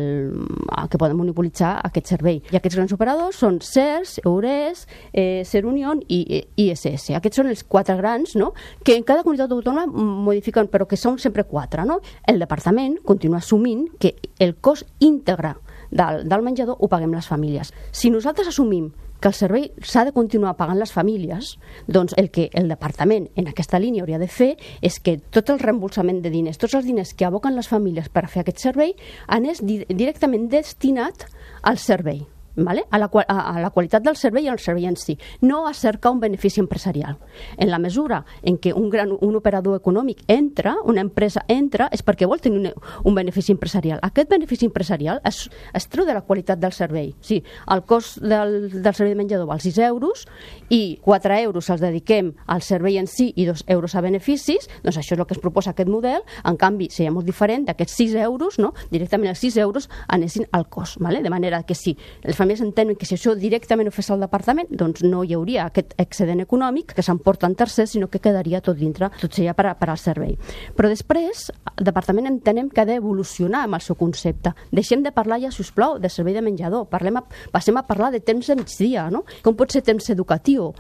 el que poden monopolitzar aquest servei. I aquests grans operadors són SERS, EURES, eh, Ser Unión i I S S. Aquests són els quatre grans, no?, que en cada comunitat autònoma modifiquen, però que són sempre quatre, no? El departament continua assumint que el cost íntegre del, del menjador ho paguem les famílies. Si nosaltres assumim que el servei s'ha de continuar pagant les famílies, doncs el que el departament en aquesta línia hauria de fer és que tot el reembolsament de diners, tots els diners que aboquen les famílies per fer aquest servei, anés di- directament destinat al servei. Vale? A, la, a, a la qualitat del servei i al servei en si, no a cercar un benefici empresarial. En la mesura en què un, gran, un operador econòmic entra, una empresa entra, és perquè vol tenir un, un benefici empresarial. Aquest benefici empresarial es, es treu de la qualitat del servei. Sí, el cost del, del servei de menjador val sis euros i quatre euros els dediquem al servei en si i dos euros a beneficis, doncs això és el que es proposa aquest model. En canvi, seria molt diferent d'aquests sis euros, no? Directament els sis euros anessin al cost, vale? De manera que si les famílies entenen que si això directament ho fes el departament, doncs no hi hauria aquest excedent econòmic que s'emporta en tercers, sinó que quedaria tot dintre, tot seria per, a, per al servei. Però després, el departament entenem que ha d'evolucionar amb el seu concepte. Deixem de parlar ja, si us plau, de servei de menjador. Parlem a, passem a parlar de temps de migdia, no? Com pot ser temps educatiu?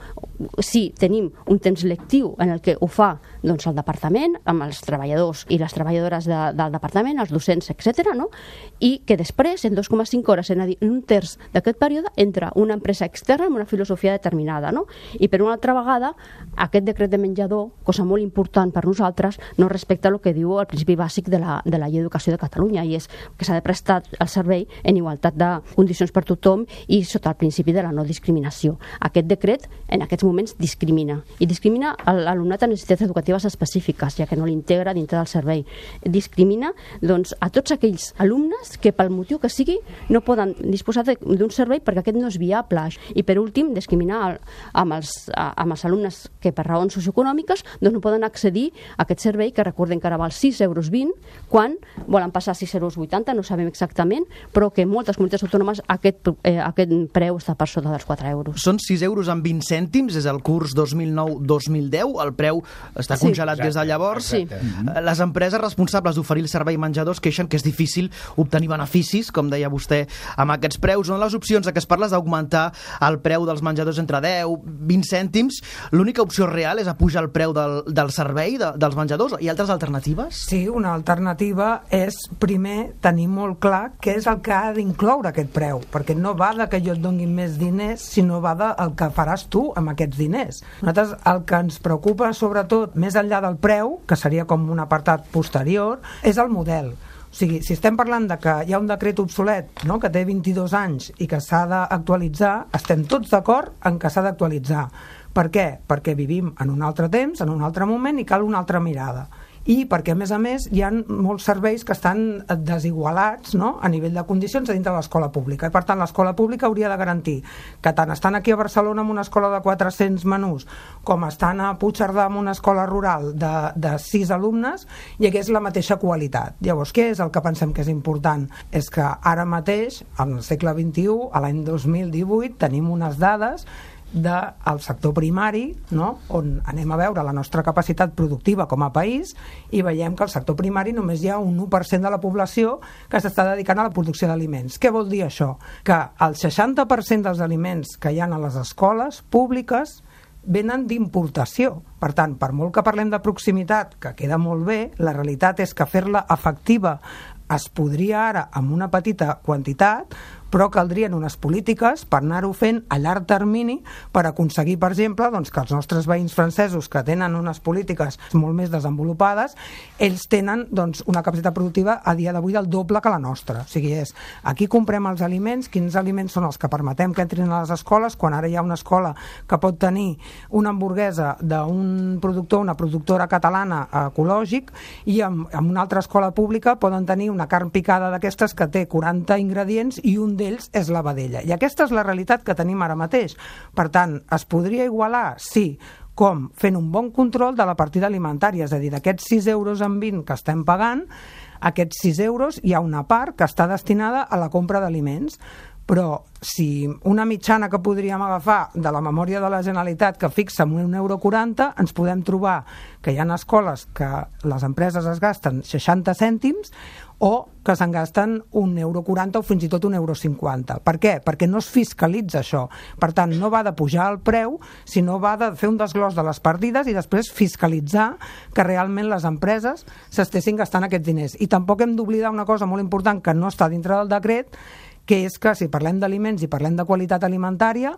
Si tenim un temps lectiu en el que ho fa doncs, el departament, amb els treballadors i les treballadores de, del departament, els docents, etcètera, no? I que després, en dos coma cinc hores, en un terç d'aquest període, entra una empresa externa amb una filosofia determinada, no? I per una altra vegada, aquest decret de menjador, cosa molt important per nosaltres, no respecta el que diu el principi bàsic de la, de la llei d'educació de Catalunya, i és que s'ha de prestar el servei en igualtat de condicions per tothom i sota el principi de la no discriminació. Aquest decret, en aquests moments, discrimina. I discrimina l'alumnat amb necessitats educatives específiques, ja que no l'integra dintre del servei. Discrimina, doncs, a tots aquells alumnes que, pel motiu que sigui, no poden disposar d'un servei perquè aquest no és viable. I, per últim, discriminar amb els, amb els alumnes que, per raons socioeconòmiques, doncs no poden accedir a aquest servei, que recordem que ara val sis euros vint, quan volen passar a sis euros vuitanta, no sabem exactament, però que en moltes comunitats autònomes aquest, eh, aquest preu està per sota dels quatre euros.
Són sis euros amb vint cèntims, és el curs dos mil nou dos mil deu, el preu està sí. congelat Exacte. Des de llavors. Sí. Les empreses responsables d'oferir el servei menjador es queixen que és difícil obtenir beneficis, com deia vostè, amb aquests preus. Són les opcions de que es parla d'augmentar el preu dels menjadors entre deu i vint cèntims. L'única opció real és apujar el preu del, del servei, de, dels menjadors. Hi ha altres alternatives?
Sí, una alternativa és, primer, tenir molt clar què és el que ha d'incloure aquest preu, perquè no va de que jo et doni més diners, sinó va del que faràs tu amb aquests diners. Nosaltres el que ens preocupa, sobretot, més enllà del preu, que seria com un apartat posterior, és el model. O sigui, si estem parlant de que hi ha un decret obsolet, no?, que té vint-i-dos anys i que s'ha d'actualitzar, estem tots d'acord en que s'ha d'actualitzar. Per què? Perquè vivim en un altre temps, en un altre moment, i cal una altra mirada. i perquè, a més a més, hi ha molts serveis que estan desigualats, no?, a nivell de condicions dintre de l'escola pública. I, per tant, l'escola pública hauria de garantir que tant estan aquí a Barcelona amb una escola de quatre-cents menús com estan a Puigcerdà amb una escola rural de, de sis alumnes hi hagués la mateixa qualitat. Llavors, què és el que pensem que és important? És que ara mateix, al segle vint-i-u, a l'any dos mil divuit, tenim unes dades del sector primari, no?, on anem a veure la nostra capacitat productiva com a país i veiem que al sector primari només hi ha un u per cent de la població que s'està dedicant a la producció d'aliments. Què vol dir això? Que el seixanta per cent dels aliments que hi ha a les escoles públiques venen d'importació. Per tant, per molt que parlem de proximitat, que queda molt bé, la realitat és que fer-la efectiva es podria ara amb una petita quantitat, però caldrien unes polítiques per anar-ho fent a llarg termini per aconseguir, per exemple, doncs, que els nostres veïns francesos, que tenen unes polítiques molt més desenvolupades, ells tenen doncs, una capacitat productiva a dia d'avui del doble que la nostra. O sigui, és, aquí comprem els aliments, quins aliments són els que permetem que entrin a les escoles, quan ara hi ha una escola que pot tenir una hamburguesa d'un productor, una productora catalana ecològic, i amb, amb una altra escola pública poden tenir una carn picada d'aquestes que té quaranta ingredients i un d'ells és la vedella. I aquesta és la realitat que tenim ara mateix. Per tant, es podria igualar? Sí. Com? Fent un bon control de la partida alimentària, és a dir, d'aquests sis euros en vint que estem pagant, aquests sis euros hi ha una part que està destinada a la compra d'aliments. Però si una mitjana que podríem agafar de la memòria de la Generalitat que fixa en un euro quaranta, ens podem trobar que hi ha escoles que les empreses es gasten seixanta cèntims o que se'n gasten un euro quaranta o fins i tot un euro cinquanta. Per què? Perquè no es fiscalitza això. Per tant, no va de pujar el preu, sinó va de fer un desglòs de les partides i després fiscalitzar que realment les empreses s'estessin gastant aquests diners. I tampoc hem d'oblidar una cosa molt important que no està dintre del decret, que és que si parlem d'aliments i parlem de qualitat alimentària,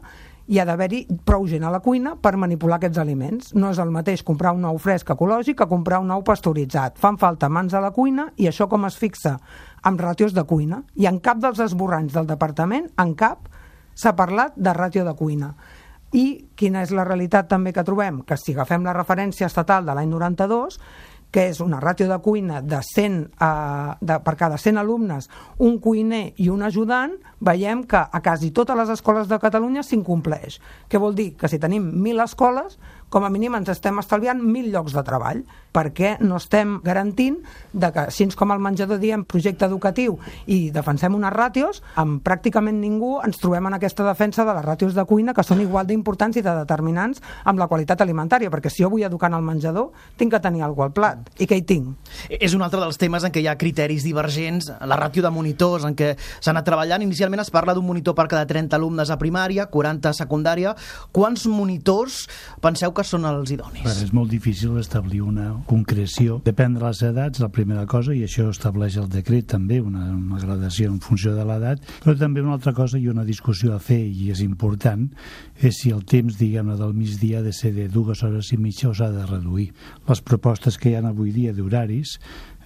hi ha d'haver-hi prou gent a la cuina per manipular aquests aliments. No és el mateix comprar un ou fresc ecològic que comprar un ou pasteuritzat. Fan falta mans a la cuina i això com es fixa? Amb ràtios de cuina. I en cap dels esborranys del departament, en cap, s'ha parlat de ràtio de cuina. I quina és la realitat també que trobem? Que si agafem la referència estatal de l'any noranta-dos, que és una ràtio de cuina de cent, eh, de, per cada cent alumnes, un cuiner i un ajudant, veiem que a quasi totes les escoles de Catalunya s'incompleix. Què vol dir? Que si tenim mil escoles, com a mínim ens estem estalviant mil llocs de treball, perquè no estem garantint de que, així com al menjador diem projecte educatiu i defensem unes ràtios, amb pràcticament ningú ens trobem en aquesta defensa de les ràtios de cuina, que són igual d'importants i de determinants amb la qualitat alimentària, perquè si jo vull educar en el menjador, tinc que tenir alguna cosa al plat. I què hi tinc?
És un altre dels temes en què hi ha criteris divergents, la ràtio de monitors, en què s'ha anat treballant. Inicialment es parla d'un monitor per cada trenta alumnes a primària, quaranta a secundària. Quants monitors penseu que són els idonis?
Però és molt difícil establir una concreció. Depèn de les edats, la primera cosa, i això estableix el decret també, una, una gradació en funció de l'edat, però també una altra cosa i una discussió a fer, i és important, és si el temps, diguem-ne, del migdia ha de ser de dues hores i mitja o s'ha de reduir. Les propostes que hi ha avui dia d'horaris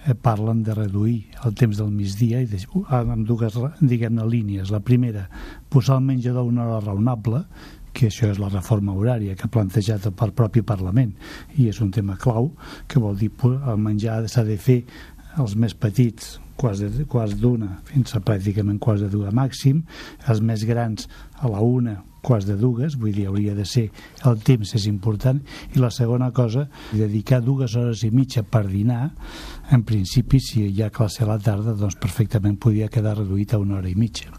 eh, parlen de reduir el temps del migdia i de, amb dues, diguem-ne, línies. La primera, posar el menjador una hora raonable, que això és la reforma horària que ha plantejat el propi Parlament, i és un tema clau, que vol dir que el menjar s'ha de fer els més petits quarts de, quarts d'una fins a pràcticament quarts de dues màxim, els més grans a la una quarts de dues, vull dir, hauria de ser el temps és important, i la segona cosa, dedicar dues hores i mitja per dinar, en principi, si hi ha classe a la tarda, doncs perfectament podria quedar reduït a una hora i mitja.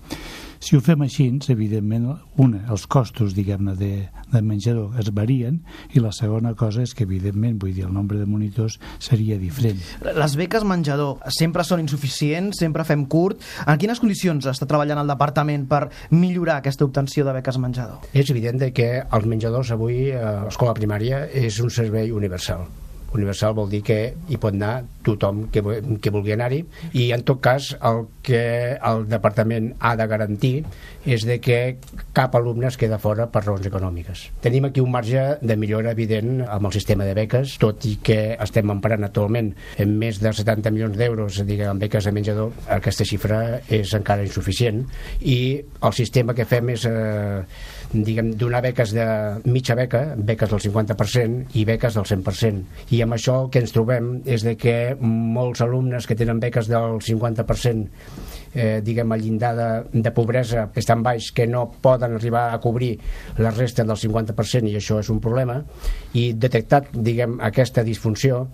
Si ho fem així, evidentment, una, els costos, diguem-ne, de, de menjador es varien, i la segona cosa és que, evidentment, vull dir, el nombre de monitors seria diferent.
Les beques menjador sempre són insuficients, sempre fem curt. En quines condicions està treballant el departament per millorar aquesta obtenció de beques menjador?
És evident que els menjadors avui a l'escola primària és un servei universal. Universal vol dir que hi pot anar tothom que, que vulgui anar-hi, i en tot cas el que el departament ha de garantir és de que cap alumne es queda fora per raons econòmiques. Tenim aquí un marge de millora evident amb el sistema de beques, tot i que estem emparant actualment en més de setanta milions d'euros en beques de menjador. Aquesta xifra és encara insuficient, i el sistema que fem és eh, diguem, donar beques de mitja beca, beques del cinquanta per cent i beques del cent per cent. I amb això el que ens trobem és de que molts alumnes que tenen beques del cinquanta per cent, eh, diguem, el llindar de, de pobresa és tan baix que no poden arribar a cobrir la resta del cinquanta per cent, i això és un problema. I detectat, diguem, aquesta disfunció,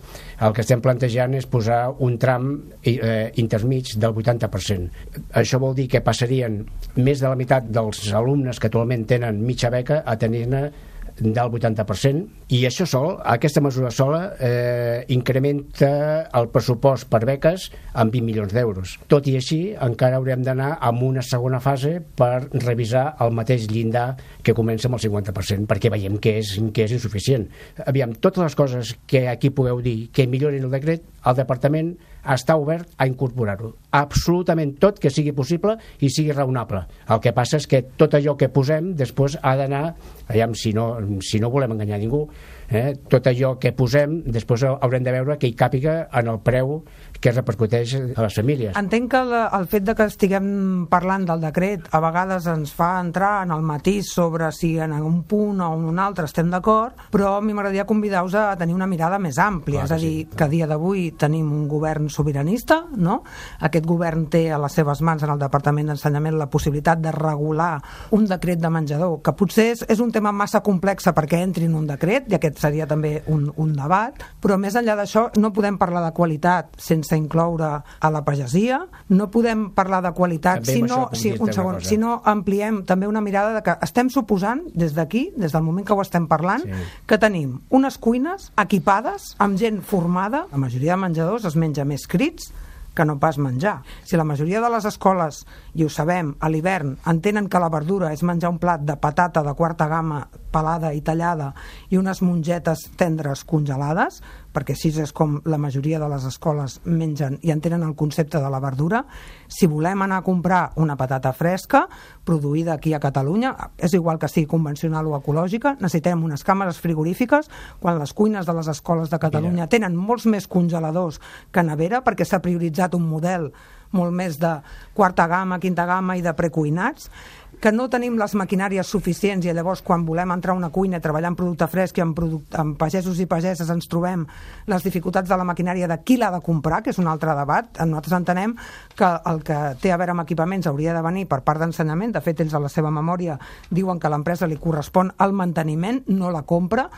el que estem plantejant és posar un tram eh, intermig del vuitanta per cent. Això vol dir que passarien més de la meitat dels alumnes que actualment tenen mitja beca a tenir-ne del vuitanta per cent, i això sol, aquesta mesura sola eh, incrementa el pressupost per beques en vint milions d'euros. Tot i així, encara haurem d'anar amb una segona fase per revisar el mateix llindar que comença amb el cinquanta per cent, perquè veiem que és, que és insuficient. Aviam, totes les coses que aquí pugueu dir que millorin el decret, el departament està obert a incorporar-ho. Absolutament tot que sigui possible i sigui raonable. El que passa és que tot allò que posem després ha d'anar, aviam, si no, si no volem enganyar ningú, eh, tot allò que posem després haurem de veure que hi càpiga en el preu que repercuteix a les famílies.
Entenc que el, el fet de que estiguem parlant del decret a vegades ens fa entrar en el matís sobre si en un punt o en un altre estem d'acord, però a mi m'agradaria convidar-vos a tenir una mirada més àmplia. Clar, és a dir, sí, que a dia d'avui tenim un govern sobiranista, no? Aquest govern té a les seves mans en el Departament d'Ensenyament la possibilitat de regular un decret de menjador, que potser és, és un tema massa complex perquè entri en un decret, i aquest seria també un, un debat, però més enllà d'això no podem parlar de qualitat sense incloure a la pagesia, no podem parlar de qualitat si no, si, un segon, si no ampliem també una mirada de que estem suposant des d'aquí, des del moment que ho estem parlant, sí, que tenim unes cuines equipades amb gent formada. La majoria de menjadors es menja més crits que no pas menjar. Si la majoria de les escoles, i ho sabem, a l'hivern entenen que la verdura és menjar un plat de patata de quarta gamma pelada i tallada i unes mongetes tendres congelades, perquè així és com la majoria de les escoles mengen i entenen el concepte de la verdura, si volem anar a comprar una patata fresca produïda aquí a Catalunya, és igual que sigui convencional o ecològica, necessitem unes càmeres frigorífiques, quan les cuines de les escoles de Catalunya Mira. tenen molts més congeladors que nevera, perquè s'ha prioritzat un model molt més de quarta gamma, quinta gamma i de precuinats, que no tenim les maquinàries suficients, i llavors quan volem entrar a una cuina i treballar en producte fresc i amb, producte, amb pagesos i pageses ens trobem les dificultats de la maquinària de qui l'ha de comprar, que és un altre debat. Nosaltres entenem que el que té a veure amb equipaments hauria de venir per part d'ensenyament. De fet, ells a la seva memòria diuen que a l'empresa li correspon el manteniment, no la compra,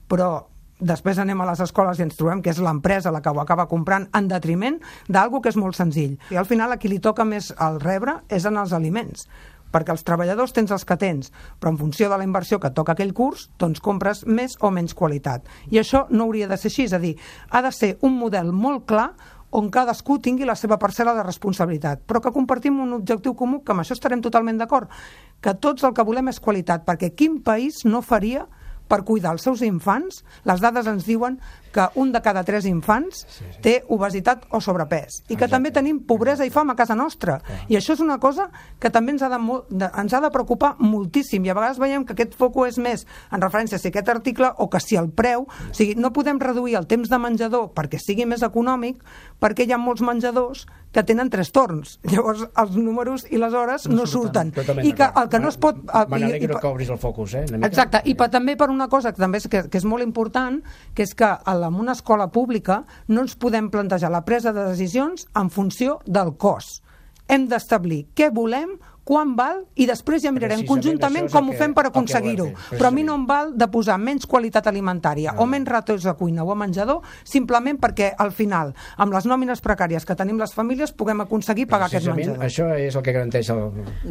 però després anem a les escoles i ens trobem que és l'empresa la que ho acaba comprant en detriment d'algo que és molt senzill. I al final a qui li toca més el rebre és en els aliments, perquè els treballadors tens els que tens, però en funció de la inversió que et toca aquell curs, doncs compres més o menys qualitat. I això no hauria de ser així, és a dir, ha de ser un model molt clar on cadascú tingui la seva parcel·la de responsabilitat, però que compartim un objectiu comú, que amb això estarem totalment d'acord, que tots el que volem és qualitat, perquè quin país no faria per cuidar els seus infants? Les dades ens diuen que un de cada tres infants sí, sí. té obesitat o sobrepès, i que Exacte. també tenim pobresa i fam a casa nostra, ah. i això és una cosa que també ens ha de, de, ens ha de preocupar moltíssim, i a vegades veiem que aquest foco és més en referència a si aquest article o que si el preu, o sigui, no podem reduir el temps de menjador perquè sigui més econòmic, perquè hi ha molts menjadors que tenen tres torns, llavors els números i les hores no, no surten, surten. i que el que no es pot...
Me n'alegro que obris el focus, eh?
Exacte, i per, també per una cosa que també és, que, que és molt important, que és que en una escola pública no ens podem plantejar la presa de decisions en funció del cost. Hem d'establir què volem, quan val, i després ja mirarem conjuntament com ho fem per aconseguir-ho. Però a mi no em val de posar menys qualitat alimentària no. o menys ràtios a cuina o a menjador, simplement perquè al final, amb les nòmines precàries que tenim les famílies, puguem aconseguir pagar aquest menjador.
Això és el que garanteix el...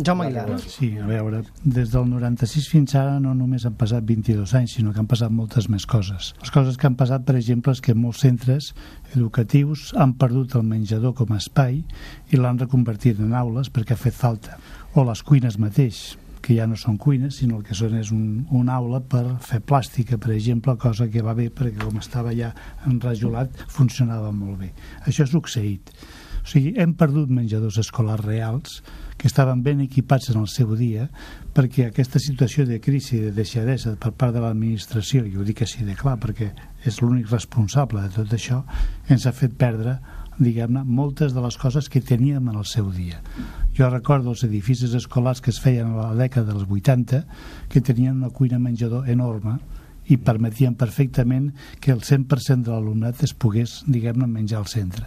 Jaume Aguilar.
Sí, a veure, des del noranta-sis fins ara no només han passat vint-i-dos anys, sinó que han passat moltes més coses. Les coses que han passat, per exemple, és que molts centres educatius han perdut el menjador com a espai i l'han reconvertit en aules perquè ha fet falta. O les cuines mateix, que ja no són cuines, sinó el que són és un, una aula per fer plàstica, per exemple, cosa que va bé perquè com estava ja enrajolat funcionava molt bé. Això ha succeït. O sigui, hem perdut menjadors escolars reals que estaven ben equipats en el seu dia, perquè aquesta situació de crisi, de deixadesa per part de l'administració, i ho dic així de clar perquè és l'únic responsable de tot això, ens ha fet perdre diguem-ne, moltes de les coses que teníem en el seu dia. Jo recordo els edificis escolars que es feien a la dècada dels vuitanta, que tenien una cuina menjador enorme i permetien perfectament que el cent per cent de l'alumnat es pogués, diguem-ne, menjar al centre.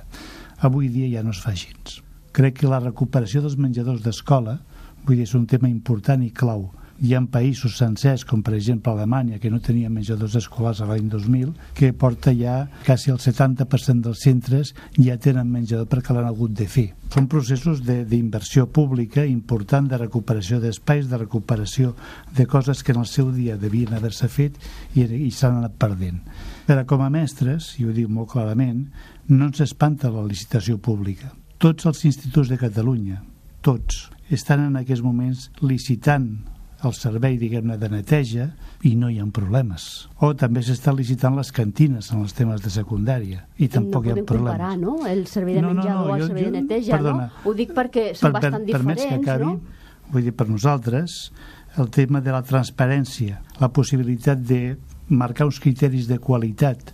Avui dia ja no es fa així. Crec que la recuperació dels menjadors d'escola, vull dir, és un tema important i clau. Hi ha països sencers, com per exemple Alemanya, que no tenia menjadors escolars a l'any dos mil, que porta ja quasi el setanta per cent dels centres ja tenen menjador perquè l'han hagut de fer. Són processos d'inversió pública important, de recuperació d'espais, de recuperació de coses que en el seu dia devien haver-se fet i, i s'han anat perdent. Però com a mestres, i ho dic molt clarament, no ens espanta la licitació pública. Tots els instituts de Catalunya, tots, estan en aquests moments licitant el servei, diguem-ne, de neteja i no hi ha problemes. O també s'estan licitant les cantines en els temes de secundària i tampoc
no
hi ha problemes.
No podem comparar, no?, el servei de
no,
menjador
no, no,
o el
jo,
servei
jo,
de neteja,
perdona,
no? Ho dic perquè són
per,
bastant
per,
diferents,
que acabi,
no?
Vull dir, per nosaltres, el tema de la transparència, la possibilitat de marcar uns criteris de qualitat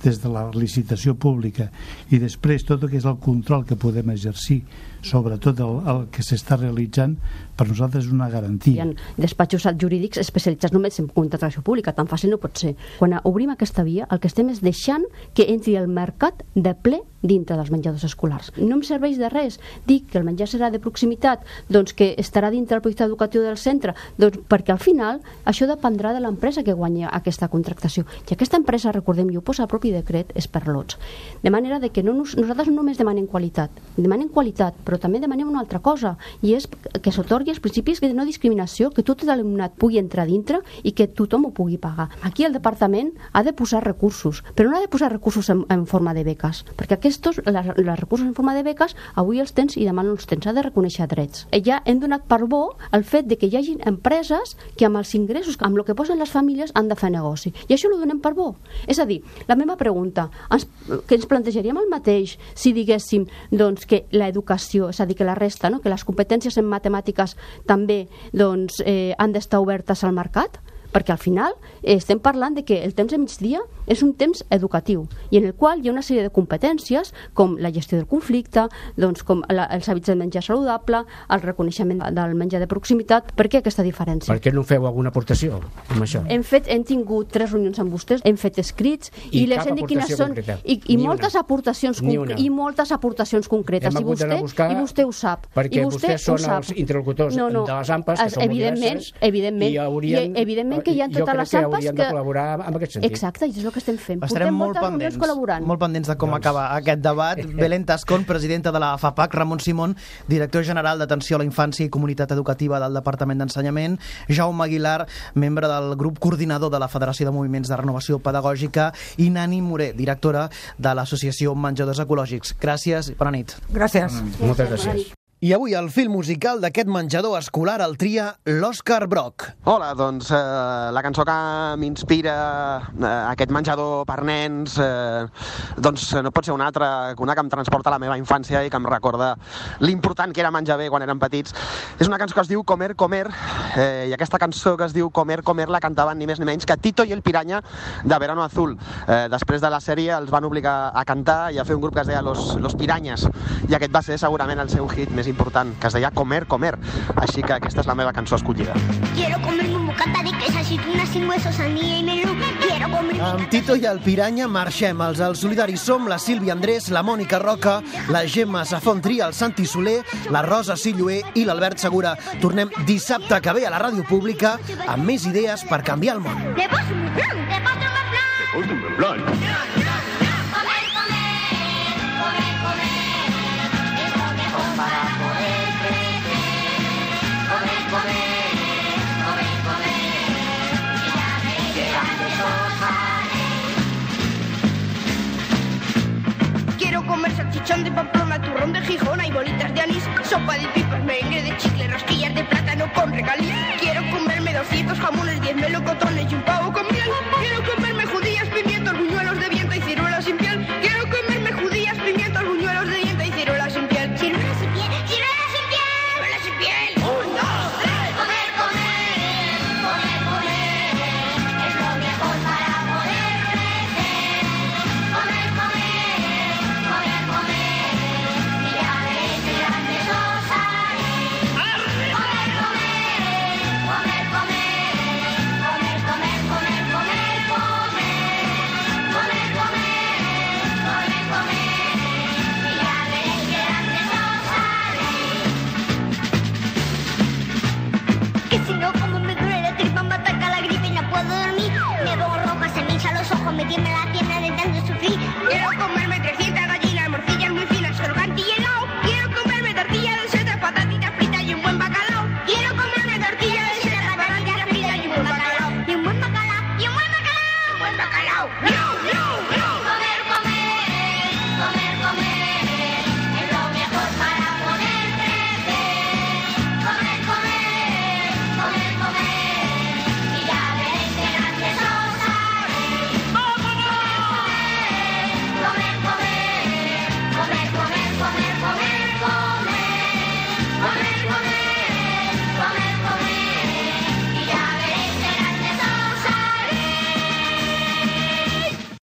des de la licitació pública i després tot el que és el control que podem exercir sobre tot el, el que s'està realitzant, per nosaltres és una garantia.
Hi ha despatxos jurídics especialitzats només en contractació pública, tan fàcil no pot ser. Quan obrim aquesta via, el que estem és deixant que entri el mercat de ple dintre dels menjadors escolars. No em serveix de res dir que el menjar serà de proximitat, doncs que estarà dintre el projecte educatiu del centre, doncs perquè al final això dependrà de l'empresa que guanya aquesta contractació. I aquesta empresa, recordem, i ho posa el propi decret, és per lots. De manera de que no, nosaltres no només demanem qualitat, demanem qualitat, però també demanem una altra cosa, i és que s'atorgui els principis de no discriminació, que tot l'alumnat pugui entrar dintre i que tothom ho pugui pagar. Aquí el departament ha de posar recursos, però no ha de posar recursos en, en forma de beques, perquè aquests, les, les recursos en forma de beques, avui els tens i demà no els tens, ha de reconèixer drets. Ja hem donat per bo el fet de que hi hagi empreses que amb els ingressos, amb el que posen les famílies, han de fer negoci. I això ho donem per bo. És a dir, la meva pregunta, ens, que ens plantejaríem el mateix si diguéssim doncs, que l'educació, és a dir, que la resta, no? Que les competències en matemàtiques també doncs, eh, han d'estar obertes al mercat? Perquè al final eh, estem parlant de que el temps de migdia és un temps educatiu i en el qual hi ha una sèrie de competències com la gestió del conflicte, doncs, com la, els hàbits de menjar saludable, el reconeixement del menjar de proximitat. Per què aquesta diferència?
Per què no feu alguna aportació amb això?
Hem fet, hem tingut tres reunions amb vostès, hem fet escrits i,
I
les hem dit quines són i, i moltes una. aportacions i moltes aportacions concretes i vostè, i vostè ho sap.
Perquè
I vostè
vostès són els interlocutors
no, no.
de les AMPAs, que són
evidentment,
molt diverses,
evidentment,
i haurien,
i evidentment que hi ha totes les
AMPAs que...
que...
de col·laborar en aquest sentit.
Exacte, i és el que estem fent.
Estarem
Portem
molt pendents, molt pendents de com doncs... acaba aquest debat. Belén Tascón, presidenta de la FAPAC, Ramon Simón, director general d'Atenció a la Infància i Comunitat Educativa del Departament d'Ensenyament, Jaume Aguilar, membre del grup coordinador de la Federació de Moviments de Renovació Pedagògica, i Nani Moré, directora de l'Associació Menjadors Ecològics. Gràcies i bona nit.
Gràcies.
Moltes gràcies.
I avui el fil musical d'aquest menjador escolar el tria l'Òscar Brock.
Hola, doncs eh, la cançó que m'inspira eh, aquest menjador per nens eh, doncs no pot ser una altra que una que em transporta a la meva infància i que em recorda l'important que era menjar bé quan érem petits. És una cançó que es diu Comer, Comer eh, i aquesta cançó que es diu Comer, Comer la cantaven ni més ni menys que Tito i el Piraña de Verano Azul. Eh, després de la sèrie els van obligar a cantar i a fer un grup que es deia Los, Los Pirañas i aquest va ser segurament el seu hit més important, que es deia Comer, Comer. Així que aquesta és la meva cançó escollida.
Quiero comerme un bocata de queso, aceitunas sin hueso, sandía y melón. Quiero comer...
Amb Tito i el Piraña marxem. Els Els Solidaris som la Sílvia Andrés, la Mònica Roca, la Gemma Safontria, el Santi Soler, la Rosa Silloé i l'Albert Segura. Tornem dissabte que ve a la ràdio pública amb més idees per canviar el món.
Te paso un plan, te paso un plan.
Te paso un plan.
Quiero comer salchichón de Pamplona, turrón de Gijona y bolitas de anís, sopa de pipas, merengue de chicle, rosquillas de plátano con regaliz. Quiero comerme doscientos jamones, diez melocotones y un pavo con miel. Quiero comerme judías, pimientos, buñuelos de